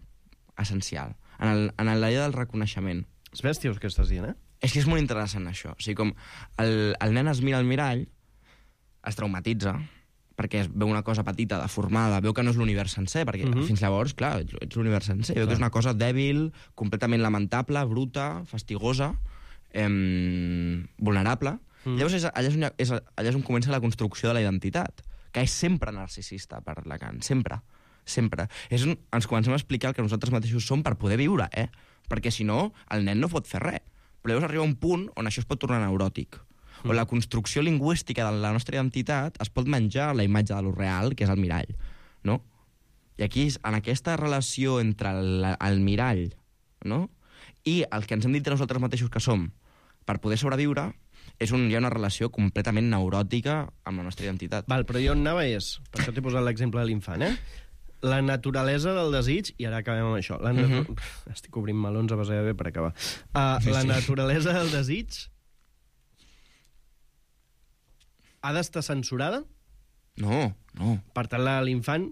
essencial, en, el, en la idea del reconeixement.
És bèstia que estàs dient, eh?
És que és molt interessant, això. O sigui, com el, el nen es mira al mirall, es traumatitza, perquè veu una cosa petita, deformada, veu que no és l'univers sencer, perquè mm-hmm. fins llavors, clar, ets, ets l'univers sencer, veu que és una cosa dèbil, completament lamentable, bruta, fastigosa, eh, vulnerable. Mm. Llavors, és, allà, és on, és, allà és on comença la construcció de la identitat, que és sempre narcisista per Lacan, sempre, sempre. És on ens comencem a explicar el que nosaltres mateixos som per poder viure, eh? Perquè, si no, el nen no pot fer res. Però llavors arriba un punt on això es pot tornar neuròtic, o la construcció lingüística de la nostra identitat es pot menjar la imatge de lo real, que és el mirall, no? I aquí, en aquesta relació entre el, el mirall, no?, i el que ens hem dit de nosaltres mateixos que som per poder sobreviure, és un, hi ha una relació completament neuròtica amb la nostra identitat.
Val, però jo on anava és, per això t'he posat l'exemple de l'infant, eh? La naturalesa del desig, i ara acabem amb això, la natu... uh-huh. estic obrint melons a base de bé per acabar. Uh, sí, la sí. naturalesa del desig ha d'estar censurada?
No, no.
Per tant, la de l'infant,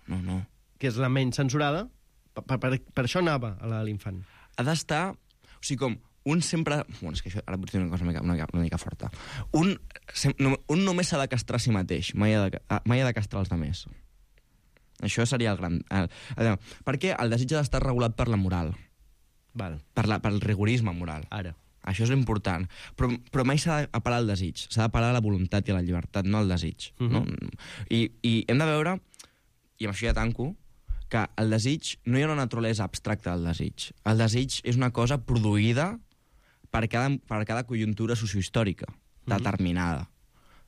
no, no.
que és la menys censurada, per, per, per això anava a la de l'infant.
Ha d'estar... O sigui, com un sempre... Bueno, és que això ara potser és una cosa una mica, una, una mica forta. Un, sem, no, un només s'ha de castrar a si mateix, mai ha de, mai ha de castrar els altres. Això seria el gran... El, el, perquè el desig ha d'estar regulat per la moral.
Val.
Per la, pel rigorisme moral.
Ara.
Això és important. Però, però mai s'ha d'apel·lar al desig. S'ha d'apel·lar a la voluntat i a la llibertat, no al desig. Uh-huh. No? I, I hem de veure, i amb això ja tanco, que el desig, no hi ha una naturalesa abstracta del desig. El desig és una cosa produïda per cada, per cada conjuntura sociohistòrica determinada. Uh-huh.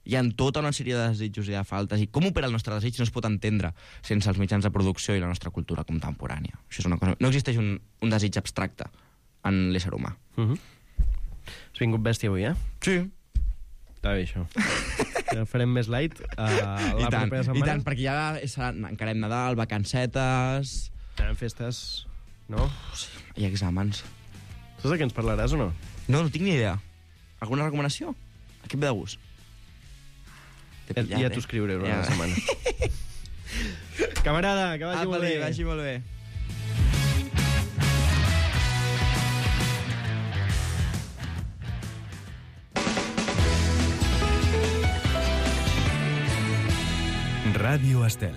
Hi ha tota una sèrie de desitjos i de faltes, i com opera el nostre desig no es pot entendre sense els mitjans de producció i la nostra cultura contemporània. Això és una cosa... No existeix un, un desig abstracte en l'ésser humà.
Uh-huh. Has vingut bèstia avui, eh?
Sí.
Està bé, això. Ja farem més light uh, la
I tant,
propera setmana.
I tant, perquè ja serà, encarem Nadal, vacancetes...
Tenen festes, no?
Sí, hi ha exàmens.
Saps de què ens parlaràs o no?
No, no tinc ni idea. Alguna recomanació? A què et ve de gust?
Pillat, ja t'ho escriuré una ja. setmana. Camarada, que vagi
ah,
molt bé.
Vagi molt bé.
Ràdio Estel.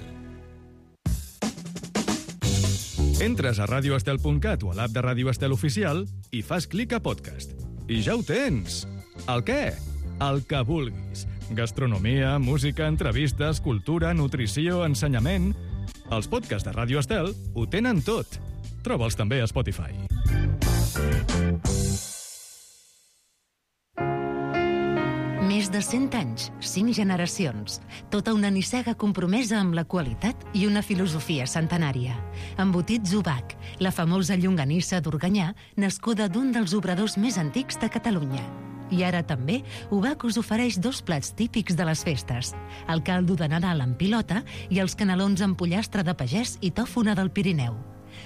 Entres a radio estel punt cat o a l'app de Ràdio Estel Oficial i fas clic a podcast. I ja ho tens! El què? El que vulguis. Gastronomia, música, entrevistes, cultura, nutrició, ensenyament... Els podcasts de Ràdio Estel ho tenen tot. Troba'ls també a Spotify.
Més de cent anys, cinc generacions, tota una nissaga compromesa amb la qualitat i una filosofia centenària. Embotits Ubac, la famosa llonganissa d'Organyà, nascuda d'un dels obradors més antics de Catalunya. I ara també, Ubac us ofereix dos plats típics de les festes, el caldo de Nadal amb pilota i els canelons amb pollastre de pagès i tòfona del Pirineu.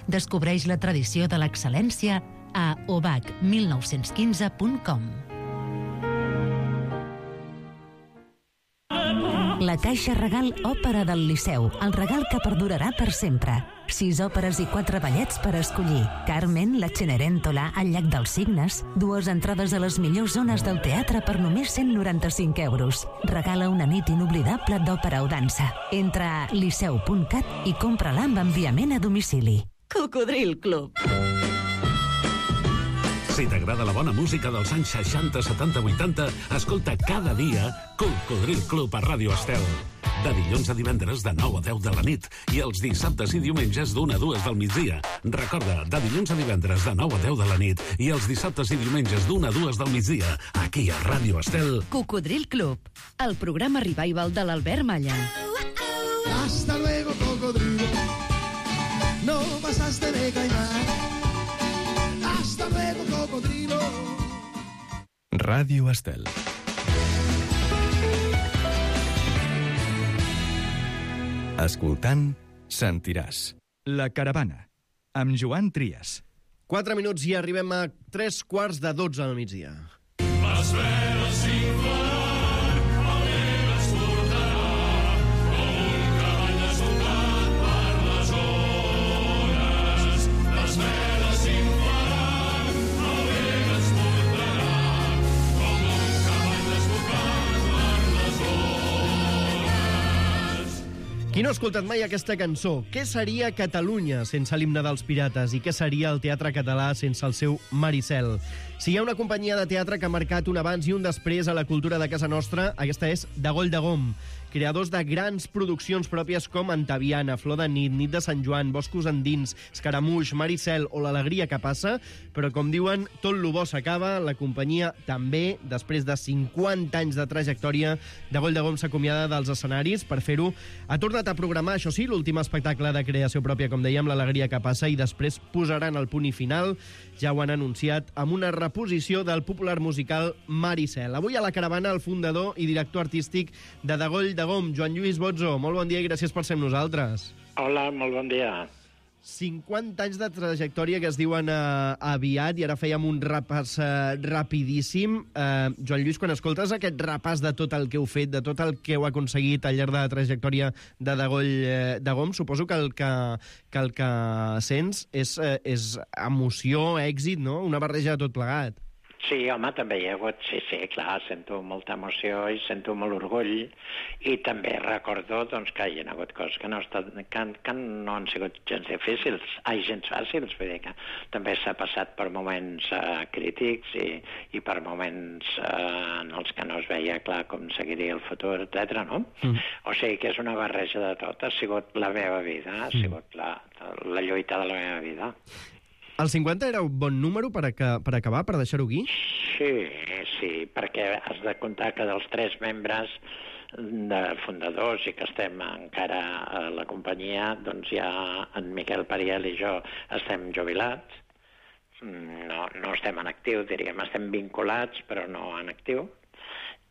Descobreix la tradició de l'excel·lència a ubac mil nou-cents quinze punt com. La Caixa Regal Òpera del Liceu, el regal que perdurarà per sempre. Sis òperes i quatre ballets per escollir. Carmen, la Cenerentola, el Llac dels Cignes, dues entrades a les millors zones del teatre per només cent noranta-cinc euros. Regala una nit inoblidable d'òpera o dansa. Entra a liceu punt cat i compra-la amb enviament a domicili.
Cocodril Club.
Si t'agrada la bona música dels anys seixanta, setanta, vuitanta, escolta cada dia Cocodril Club a Ràdio Estel. De dilluns a divendres de nou a deu de la nit i els dissabtes i diumenges d'una a dues del migdia. Recorda, de dilluns a divendres de nou a deu de la nit i els dissabtes i diumenges d'una a dues del migdia, aquí a Ràdio Estel.
Cocodril Club, el programa revival de l'Albert Malla.
Hasta luego, cocodrilo. No pasaste de caimán. Hasta luego, cocodrilo.
Ràdio Estel. Escoltant, sentiràs. La Caravana, amb Joan Trias.
Quatre minuts i arribem a tres quarts de dotze al migdia.
Les veles s'inflaran, el vent es portarà, com un cavall desbocat per les ones. Les veles s'inflaran, el vent es portarà, com un cavall desbocat per les ones.
Qui no ha escoltat mai aquesta cançó? Què seria Catalunya sense l'himne dels pirates? I què seria el teatre català sense el seu Maricel? Si hi ha una companyia de teatre que ha marcat un abans i un després a la cultura de casa nostra, aquesta és Dagoll de Gom, creadors de grans produccions pròpies com Antaviana, Flor de nit, Nit de Sant Joan, Boscos endins, Escaramuix, Maricel o L'Alegria que passa, però com diuen, tot lo bo s'acaba, la companyia també, després de cinquanta anys de trajectòria, Dagoll de Gom s'acomiada dels escenaris. Per fer-ho, ha tornat a programar, això sí, l'últim espectacle de creació pròpia, com dèiem, L'Alegria que passa, i després posaran el punt i final, ja ho han anunciat, amb una reposició del popular musical Maricel. Avui a la caravana el fundador i director artístic de Dagoll de Gom, Joan Lluís Bozzo. Molt bon dia i gràcies per ser amb nosaltres.
Hola, molt bon dia.
cinquanta anys de trajectòria que es diuen eh, aviat, i ara fèiem un repàs eh, rapidíssim. Eh, Joan Lluís, quan escoltes aquest repàs de tot el que heu fet, de tot el que heu aconseguit al llarg de la trajectòria de Dagoll eh, de Gom, suposo que el que, que, el que sents és, eh, és emoció, èxit, no? Una barreja de tot plegat.
Sí, home, també hi ha hagut, sí, sí, clar, sento molta emoció i sento molt orgull, i també recordo doncs, que hi ha hagut coses que no, estat, que, que no han sigut gens difícils, ai, gens fàcils, vull dir que també s'ha passat per moments uh, crítics i, i per moments uh, en els que no es veia clar com seguiria el futur, etcètera, no? Mm. O sigui que és una barreja de tot, ha sigut la meva vida, ha sigut la, la lluita de la meva vida.
El cinquanta era un bon número per, a, per acabar, per deixar-ho aquí?
Sí, sí, perquè has de comptar que dels tres membres de fundadors i que estem encara a la companyia, doncs ja en Miquel Pariel i jo estem jubilats, no, no estem en actiu, diríem, estem vinculats, però no en actiu,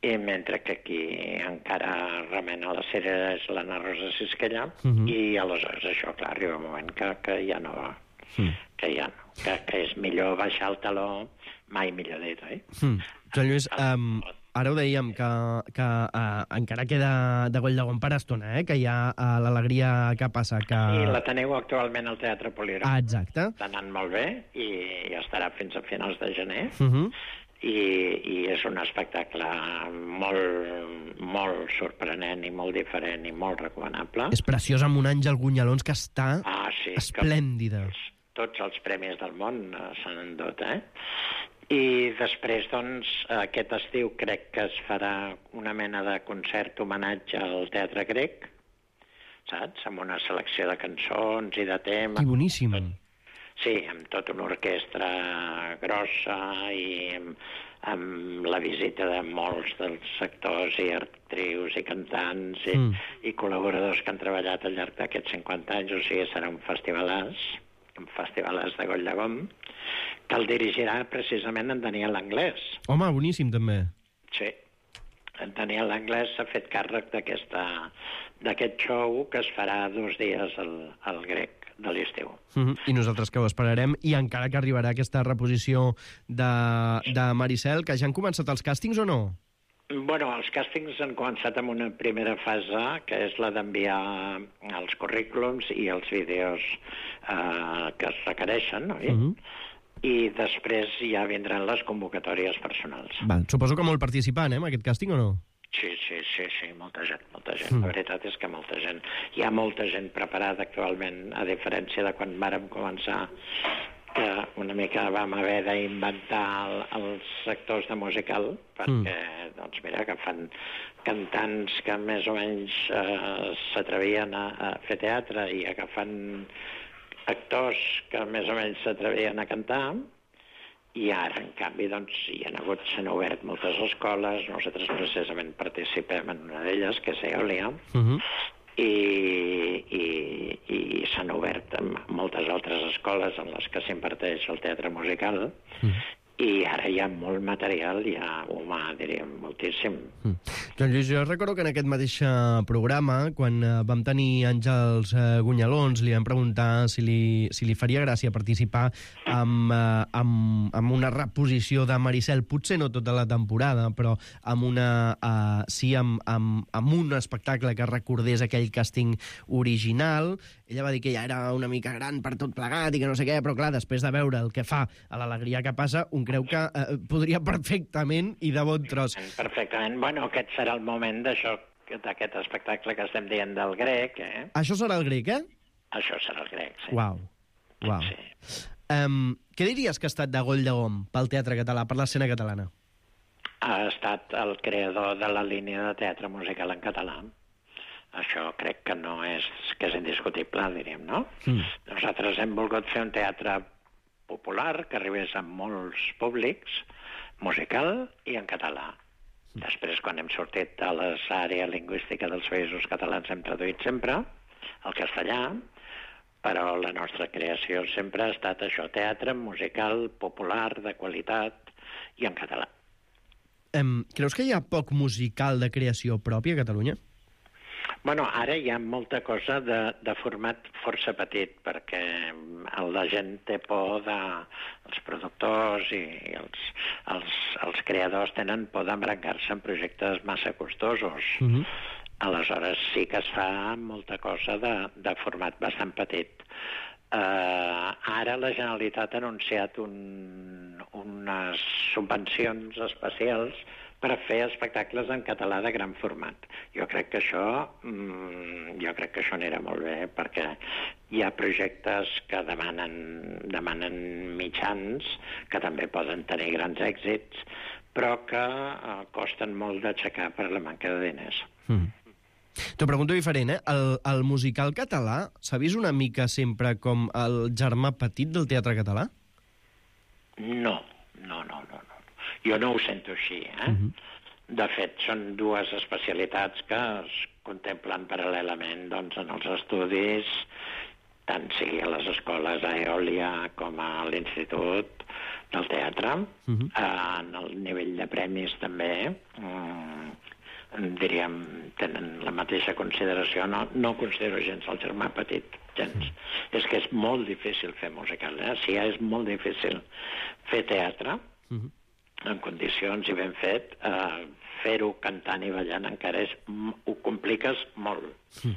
i mentre que aquí encara remena la sèrie és l'Anna Rosa Sisquella, uh-huh. I aleshores això, clar, arriba un moment que, que ja no va. Mm. Que ja no, que, que és millor baixar el taló, mai millor dit, oi? Mm.
Joan Lluís, um, ara ho dèiem, que, que uh, encara queda Dagoll de Gom per estona, eh? Que hi ha uh, l'Alegria que passa. Que...
Sí, la teniu actualment al Teatre Polígon.
Ah, exacte.
Està anant molt bé i, i estarà fins a finals de gener.
Uh-huh.
i, i és un espectacle molt, molt sorprenent i molt diferent i molt recomanable.
És preciós, amb un Àngel Gunyalons que està
ah, sí,
esplèndida.
Que tots els premis del món eh, se n'han endut, eh? I després, doncs, aquest estiu crec que es farà una mena de concert homenatge al teatre grec, saps? Amb una selecció de cançons i de temes.
Que boníssim.
Sí, amb tota una orquestra grossa i amb, amb la visita de molts dels actors i actrius i cantants i, mm. i col·laboradors que han treballat al llarg d'aquests cinquanta anys. O sigui, serà un festivalàs, un festivalàs de Goll de Gom, que el dirigirà precisament en Daniel Anglès.
Home, boníssim, també.
Sí. En Daniel Anglès s'ha fet càrrec d'aquest show que es farà dos dies al, al grec de l'estiu.
Mm-hmm. I nosaltres que ho esperarem, i encara que arribarà aquesta reposició de, de Maricel, que ja han començat els càstings o no?
Bueno, els càstings han començat amb una primera fase, que és la d'enviar els currículums i els vídeos eh, que es requereixen, oi? Mm-hmm. I després ja vindran les convocatòries personals.
Val. Suposo que molt participant, eh, en aquest càsting, o no?
Sí, sí, sí, sí, molta gent, molta gent. Mm. La veritat és que molta gent. Hi ha molta gent preparada actualment, a diferència de quan vàrem començar, que una mica vam haver d'inventar el, els sectors de musical, perquè, mm. doncs mira, que fan cantants que més o menys eh, s'atrevien a, a fer teatre i agafant actors que més o menys s'atrevien a cantar. I ara, en canvi, doncs, hi ha hagut, s'han obert moltes escoles, nosaltres precisament participem en una d'elles, que és Eòlia, uh-huh. i, i, i s'han obert moltes altres escoles en les que s'imparteix el teatre musical, uh-huh. i ara hi ha molt material, hi ha humà, diríem, moltíssim.
Mm. Joan Lluís, jo recordo que en aquest mateix programa, quan vam tenir Àngels Gunyalons, li vam preguntar si li, si li faria gràcia participar amb, amb, amb una reposició de Maricel, potser no tota la temporada, però amb una, uh, sí, amb, amb, amb un espectacle que recordés aquell càsting original. Ella va dir que ja era una mica gran per tot plegat i que no sé què, però clar, després de veure el que fa a l'Alegria que passa, un creu que eh, podria perfectament i de bon tros.
Perfectament. Bueno, aquest serà el moment d'això, d'aquest espectacle que estem dient del grec, eh?
Això serà el grec, eh?
Això serà el grec, sí.
Uau, uau. Sí. Um, què diries que ha estat de Goll de Gom pel teatre català, per l'escena catalana?
Ha estat el creador de la línia de teatre musical en català. Això crec que no és, que és indiscutible, diríem, no? Mm. Nosaltres hem volgut fer un teatre popular que arribés a molts públics, musical i en català. Després, quan hem sortit de l'àrea lingüística dels països catalans, hem traduït sempre al castellà, però la nostra creació sempre ha estat això, teatre musical, popular, de qualitat i en català.
Um, creus que hi ha poc musical de creació pròpia a Catalunya?
Bueno, ara hi ha molta cosa de, de format força petit, perquè la gent té por de... els productors i els, els, els creadors tenen por d'embrancar-se en projectes massa costosos. Mm-hmm. Aleshores sí que es fa molta cosa de, de format bastant petit. Uh, ara la Generalitat ha anunciat un, unes subvencions especials per fer espectacles en català de gran format. Jo crec que això, mmm, jo crec que això anirà molt bé, perquè hi ha projectes que demanen, demanen mitjans, que també poden tenir grans èxits, però que eh, costen molt d'aixecar per la manca de diners.
Mm. T'ho pregunto diferent, eh? El, el musical català s'ha vist una mica sempre com el germà petit del teatre català?
No, no, no, no. no. Jo no ho sento així, eh? Uh-huh. De fet, són dues especialitats que es contemplen paral·lelament, doncs, en els estudis, tant sigui a les escoles a Eòlia com a l'Institut del Teatre. Uh-huh. En el nivell de premis també, mm, diríem, tenen la mateixa consideració. No, no considero gens el germà petit, gens. Uh-huh. És que és molt difícil fer musical, eh? Sí, és molt difícil fer teatre, uh-huh. en condicions i ben fet, eh, fer-ho cantant i ballant encara és, ho compliques molt. Mm.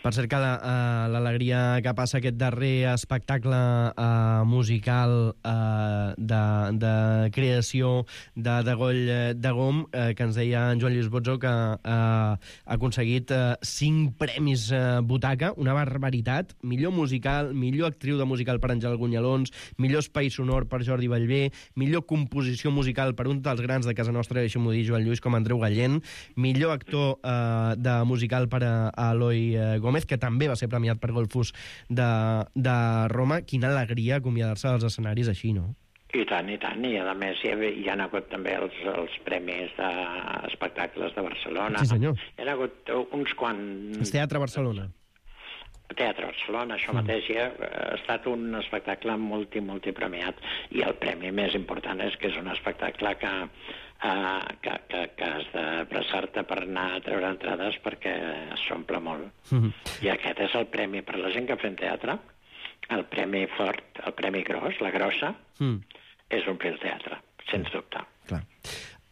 Per cert que l'Alegria que passa, aquest darrer espectacle uh, musical uh, de, de creació de, de Goll de Gom, uh, que ens deia en Joan Lluís Botzo, que uh, ha aconseguit uh, cinc premis uh, butaca, una barbaritat, millor musical, millor actriu de musical per Àngel Gunyalons, millor espai sonor per Jordi Ballbé, millor composició musical per un dels grans de casa nostra, deixem-ho dir, Joan Lluís, com Andreu Gallent, millor actor uh, de musical per a, a Eloi uh, Gómez, que també va ser premiat per Golfus de, de Roma. Quina alegria acomiadar-se dels escenaris així, no?
I tant, i tant, i a més hi ha, hi ha hagut també els, els premis d'espectacles de Barcelona.
Sí, senyor.
Hi ha hagut uns quants...
El Teatre Barcelona.
Teatre Barcelona, això mateix, ja ha estat un espectacle multi, multipremiat, i el premi més important és que és un espectacle que, uh, que, que, que has de pressar-te per anar a treure entrades perquè s'omple molt. Mm-hmm. I aquest és el premi per la gent que fem teatre, el premi fort, el premi gros, la grossa, mm. és omplir el teatre, sens dubte.
Clar.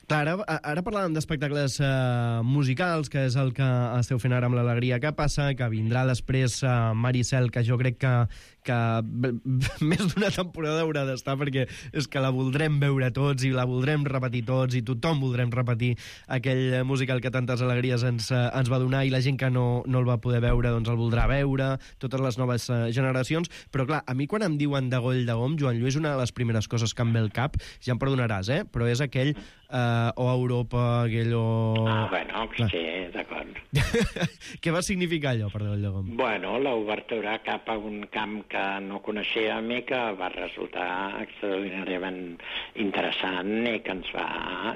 Clar, ara, ara parlàvem d'espectacles uh, musicals, que és el que esteu fent ara amb l'Alegria que passa, que vindrà després uh, Maricel, que jo crec que, que més d'una temporada haurà d'estar, perquè és que la voldrem veure tots i la voldrem repetir tots i tothom voldrem repetir aquell musical que tantes alegries ens, uh, ens va donar, i la gent que no, no el va poder veure doncs el voldrà veure, totes les noves uh, generacions. Però clar, a mi quan em diuen de Goll de Gom, Joan Lluís, una de les primeres coses que em ve al cap, ja em perdonaràs, eh? però és aquell uh, o Europa, aquell o...
Ah, bueno, clar. Sí, d'acord.
Què va significar allò per Goll de Gom?
Bueno, l'obertura cap a un camp que no coneixíem i que va resultar extraordinàriament interessant i que ens va,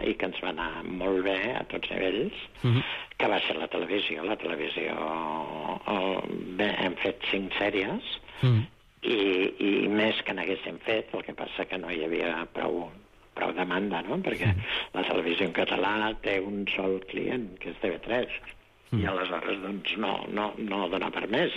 i que ens va anar molt bé a tots nivells, uh-huh. que va ser la televisió. La televisió... Oh, bé, hem fet cinc sèries, uh-huh. i, i més que n'haguéssim fet, el que passa que no hi havia prou... prou demanda, no? Perquè la televisió en català té un sol client, que és T V tres, mm. i aleshores doncs, no, no, no dona per més.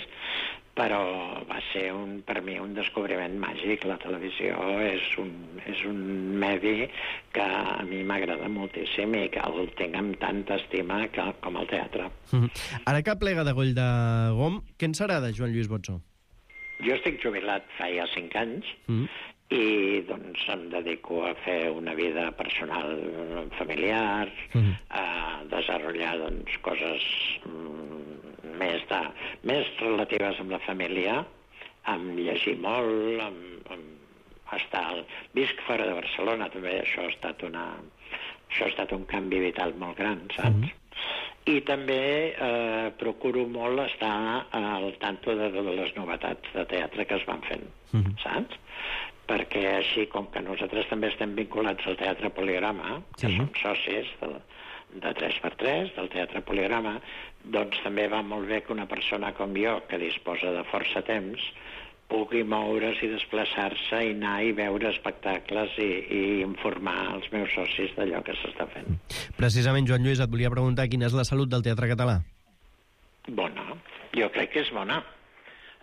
Però va ser un, per mi un descobriment màgic. La televisió és un, és un medi que a mi m'agrada moltíssim i que el tinc amb tanta estima que, com el teatre.
Mm. Ara que plega de Goll de Gom, què en serà de Joan Lluís Botzo?
Jo estic jubilat fa ja cinc anys, mm. i doncs em dedico a fer una vida personal familiar, mm. a desenvolupar doncs, coses mm, més, de, més relatives amb la família, amb llegir molt, amb, amb estar... Visc fora de Barcelona, també això ha estat, una, això ha estat un canvi vital molt gran, saps? Mm. I també eh, procuro molt estar al tanto de, de les novetats de teatre que es van fent, mm. saps? Perquè així, com que nosaltres també estem vinculats al Teatre Poligrama, que sí. som socis de, de tres per tres, del Teatre Poligrama, doncs també va molt bé que una persona com jo, que disposa de força temps, pugui moure's i desplaçar-se i anar i veure espectacles i, i informar els meus socis d'allò que s'està fent.
Precisament, Joan Lluís, et volia preguntar quina és la salut del teatre català?
Bona. Jo crec que és bona.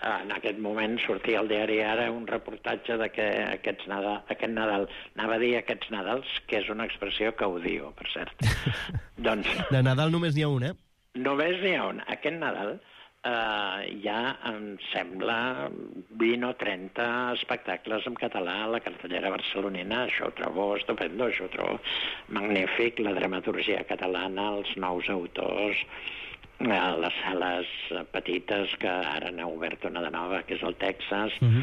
En aquest moment sortia al diari Ara un reportatge de que aquests Nadal, aquest Nadal, anava a dir aquests Nadals, que és una expressió que odio, per cert. doncs...
De Nadal només n'hi ha un, eh?
Només n'hi ha un. Aquest Nadal eh, ja em sembla vint o trenta espectacles en català a la cartellera barcelonina. Això ho trobo estupendo, això ho trobo magnífic. La dramaturgia catalana, els nous autors... a les sales petites, que ara n'ha obert una de nova, que és el Texas, uh-huh.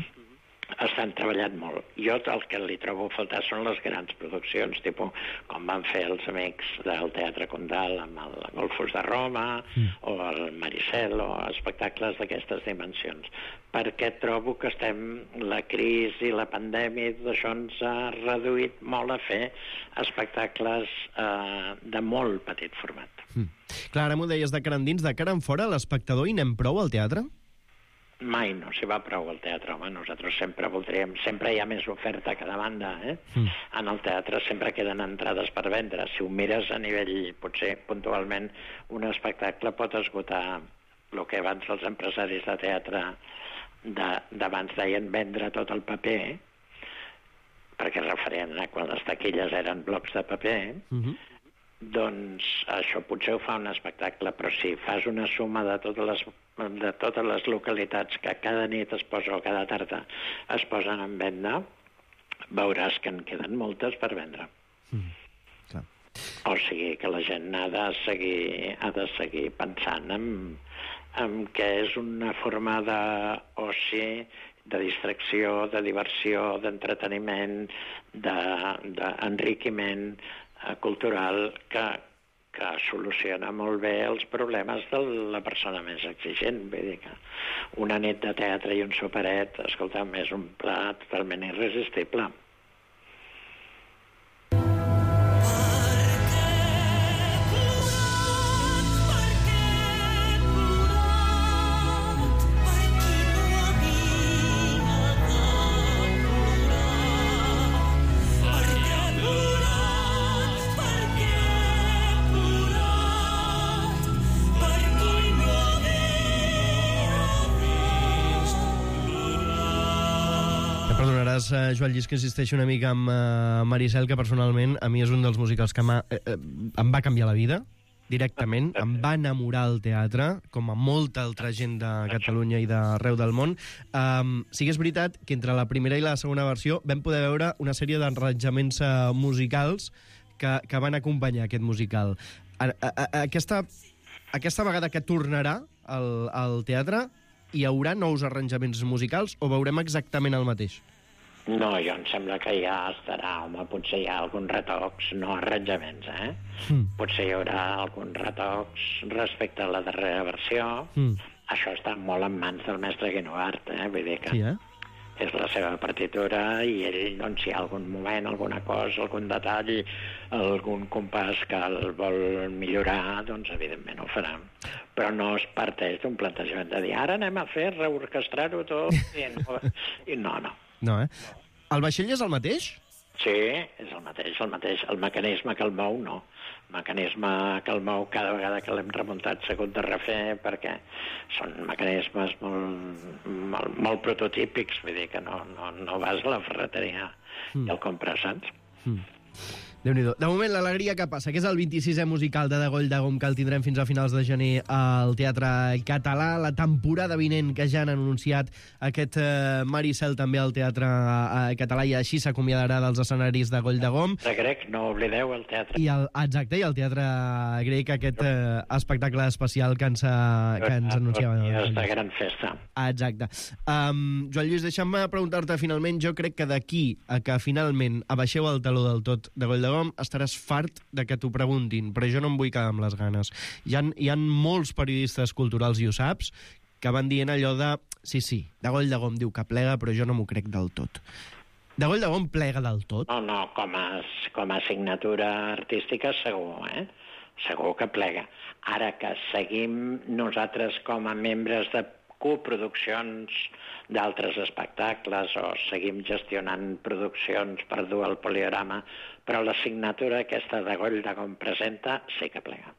estan treballant molt. Jo el que li trobo a faltar són les grans produccions, tipus com van fer els amics del Teatre Condal amb el Golfus de Roma, uh-huh. o el Maricel, o espectacles d'aquestes dimensions. Perquè trobo que estem, la crisi, la pandèmia, tot això ens ha reduït molt a fer espectacles eh, de molt petit format.
Mm. Clar, ara m'ho deies de cara endins, de cara en fora, l'espectador hi anem prou al teatre?
Mai no s'hi va prou al teatre, home. Nosaltres sempre voldríem... Sempre hi ha més oferta a cada banda, eh? Mm. En el teatre sempre queden entrades per vendre. Si ho mires a nivell, potser puntualment, un espectacle pot esgotar el que abans els empresaris de teatre d'abans deien vendre tot el paper, perquè es referien a quan les taquilles eren blocs de paper, mm-hmm. doncs això potser ho fa un espectacle, però si fas una suma de totes les, de totes les localitats que cada nit es posa o cada tarda es posen en venda, veuràs que en queden moltes per vendre.
Mm, clar.
O sigui que la gent ha de seguir, ha de seguir pensant en, en que és una forma d'oci, de distracció, de diversió, d'entreteniment, d'enriquiment de, cultural que, que soluciona molt bé els problemes de la persona més exigent. Vull dir que una nit de teatre i un superet, escolta'm, és un pla totalment irresistible.
Uh, Joan Llis, que insisteixo una mica amb uh, Maricel, que personalment a mi és un dels musicals que eh, eh, em va canviar la vida directament, em va enamorar el teatre, com a molta altra gent de Catalunya i d'arreu del món. Um, sí que és veritat que entre la primera i la segona versió vam poder veure una sèrie d'arranjaments uh, musicals que, que van acompanyar aquest musical. A, a, a, aquesta, aquesta vegada que tornarà al, al teatre, hi haurà nous arranjaments musicals o veurem exactament el mateix?
No, jo em sembla que ja estarà, home, potser hi ha alguns retocs, no arranjaments, eh? Mm. Potser hi haurà alguns retocs respecte a la darrera versió. Mm. Això està molt en mans del mestre Guinovart, eh? Vull dir que sí, eh? És la seva partitura i ell, doncs, si hi ha algun moment, alguna cosa, algun detall, algun compàs que el vol millorar, doncs, evidentment ho farà. Però no es parteix d'un plantejament de dir ara anem a fer, reorquestrar-ho tot, i no, i no, no.
No, eh? El vaixell és el mateix?
Sí, és el mateix, el mateix. El mecanisme que el mou, no. El mecanisme que el mou cada vegada que l'hem remuntat s'ha hagut de refer perquè són mecanismes molt, molt, molt prototípics, vull dir que no, no, no vas a la ferreteria mm. i el compres, saps?
Mm. Déu-n'hi-do. De moment, l'alegria que passa, que és el vint-i-sisè musical de De Goll de Gom, que el tindrem fins a finals de gener al Teatre Català. La temporada vinent, que ja han anunciat aquest eh, Maricel també al Teatre eh, Català, i així s'acomiadarà dels escenaris de Goll de Gom.
De grec, no oblideu el teatre.
I el, exacte, i el Teatre Grec, aquest eh, espectacle especial que ens, que ens anunciava.
És de gran festa.
Exacte. Um, Joan Lluís, deixa'm preguntar-te finalment, jo crec que d'aquí a que finalment abaixeu el taló del tot de Goll de Gom, estaràs fart de que t'ho preguntin, però jo no em vull quedar amb les ganes. Hi ha, hi ha molts periodistes culturals, i ho saps, que van dient allò de sí, sí, de Goll de Gom diu que plega, però jo no m'ho crec del tot. De Goll de Gom plega del tot?
No, no, com a, com a assignatura artística segur, eh? Segur que plega. Ara que seguim nosaltres com a membres de coproduccions d'altres espectacles o seguim gestionant produccions per dur al Poliorama, però la signatura aquesta de Goll de Gom presenta sí que plega.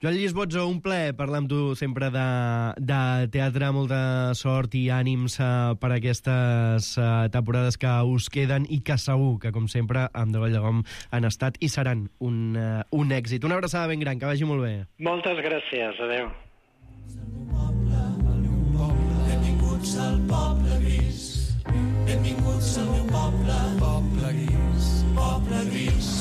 Joan Llis Bozzo, un plaer parlar amb tu sempre de, de teatre, molta sort i ànims uh, per aquestes uh, temporades que us queden i que segur que, com sempre, amb De Goll de Gom han estat i seran un, uh, un èxit. Una abraçada ben gran, que vagi molt bé.
Moltes gràcies, adeu.
Benvinguts al poble gris, benvinguts al meu poble, poble gris, poble gris.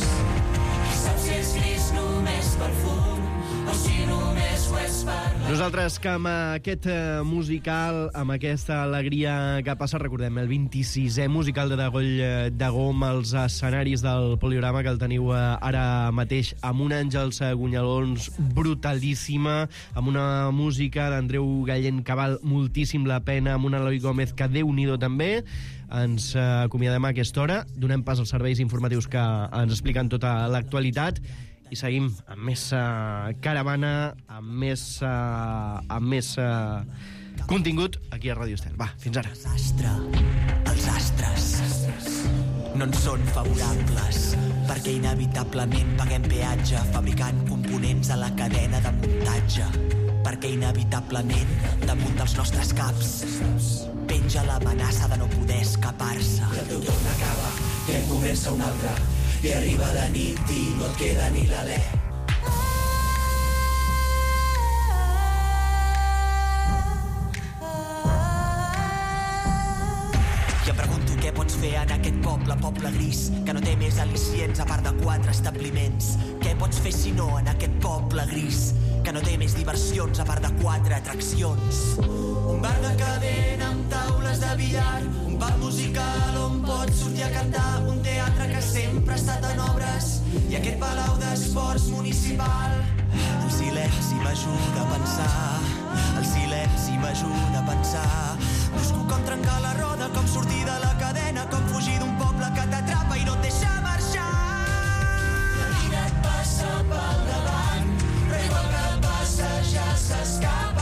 Qui sap si és gris només pel fum o si només ho és per la...
Nosaltres que amb aquest musical, amb aquesta alegria que passa, recordem, el vint-i-sisè musical de De Goll de Gom als escenaris del Poliorama, que el teniu ara mateix amb un Àngels Gunyalons brutalíssima, amb una música d'Andreu Gallent que val moltíssim la pena, amb un Eloi Gómez que Déu-n'hi-do també. Ens acomiadem a aquesta hora, donem pas als serveis informatius que ens expliquen tota l'actualitat i seguim amb més uh, caravana, amb més, uh, amb més uh, contingut aquí a Ràdio Estel. Va, fins ara.
Astre, els astres no en són favorables perquè inevitablement paguem peatge fabricant components a la cadena de muntatge, perquè inevitablement damunt dels nostres caps penja l'amenaça de no poder escapar-se.
I el teu torn acaba i en comença un altre, i arriba la nit i no et queda ni l'alè. I em pregunto què pots fer en aquest poble, poble gris, que no té més al·licients a part de quatre establiments. Què pots fer si no en aquest poble gris, que no té més diversions a part de quatre atraccions? Un bar de cadena amb taules de billar, un pub musical on pots sortir a cantar, un teatre que sempre ha estat en obres i aquest palau d'esports municipal. El silenci m'ajuda a pensar, el silenci m'ajuda a pensar. Busco com trencar la roda, com sortir de la cadena, com fugir d'un poble que t'atrapa i no et deixa marxar. La vida et passa pel davant, però igual que passa ja s'escapa.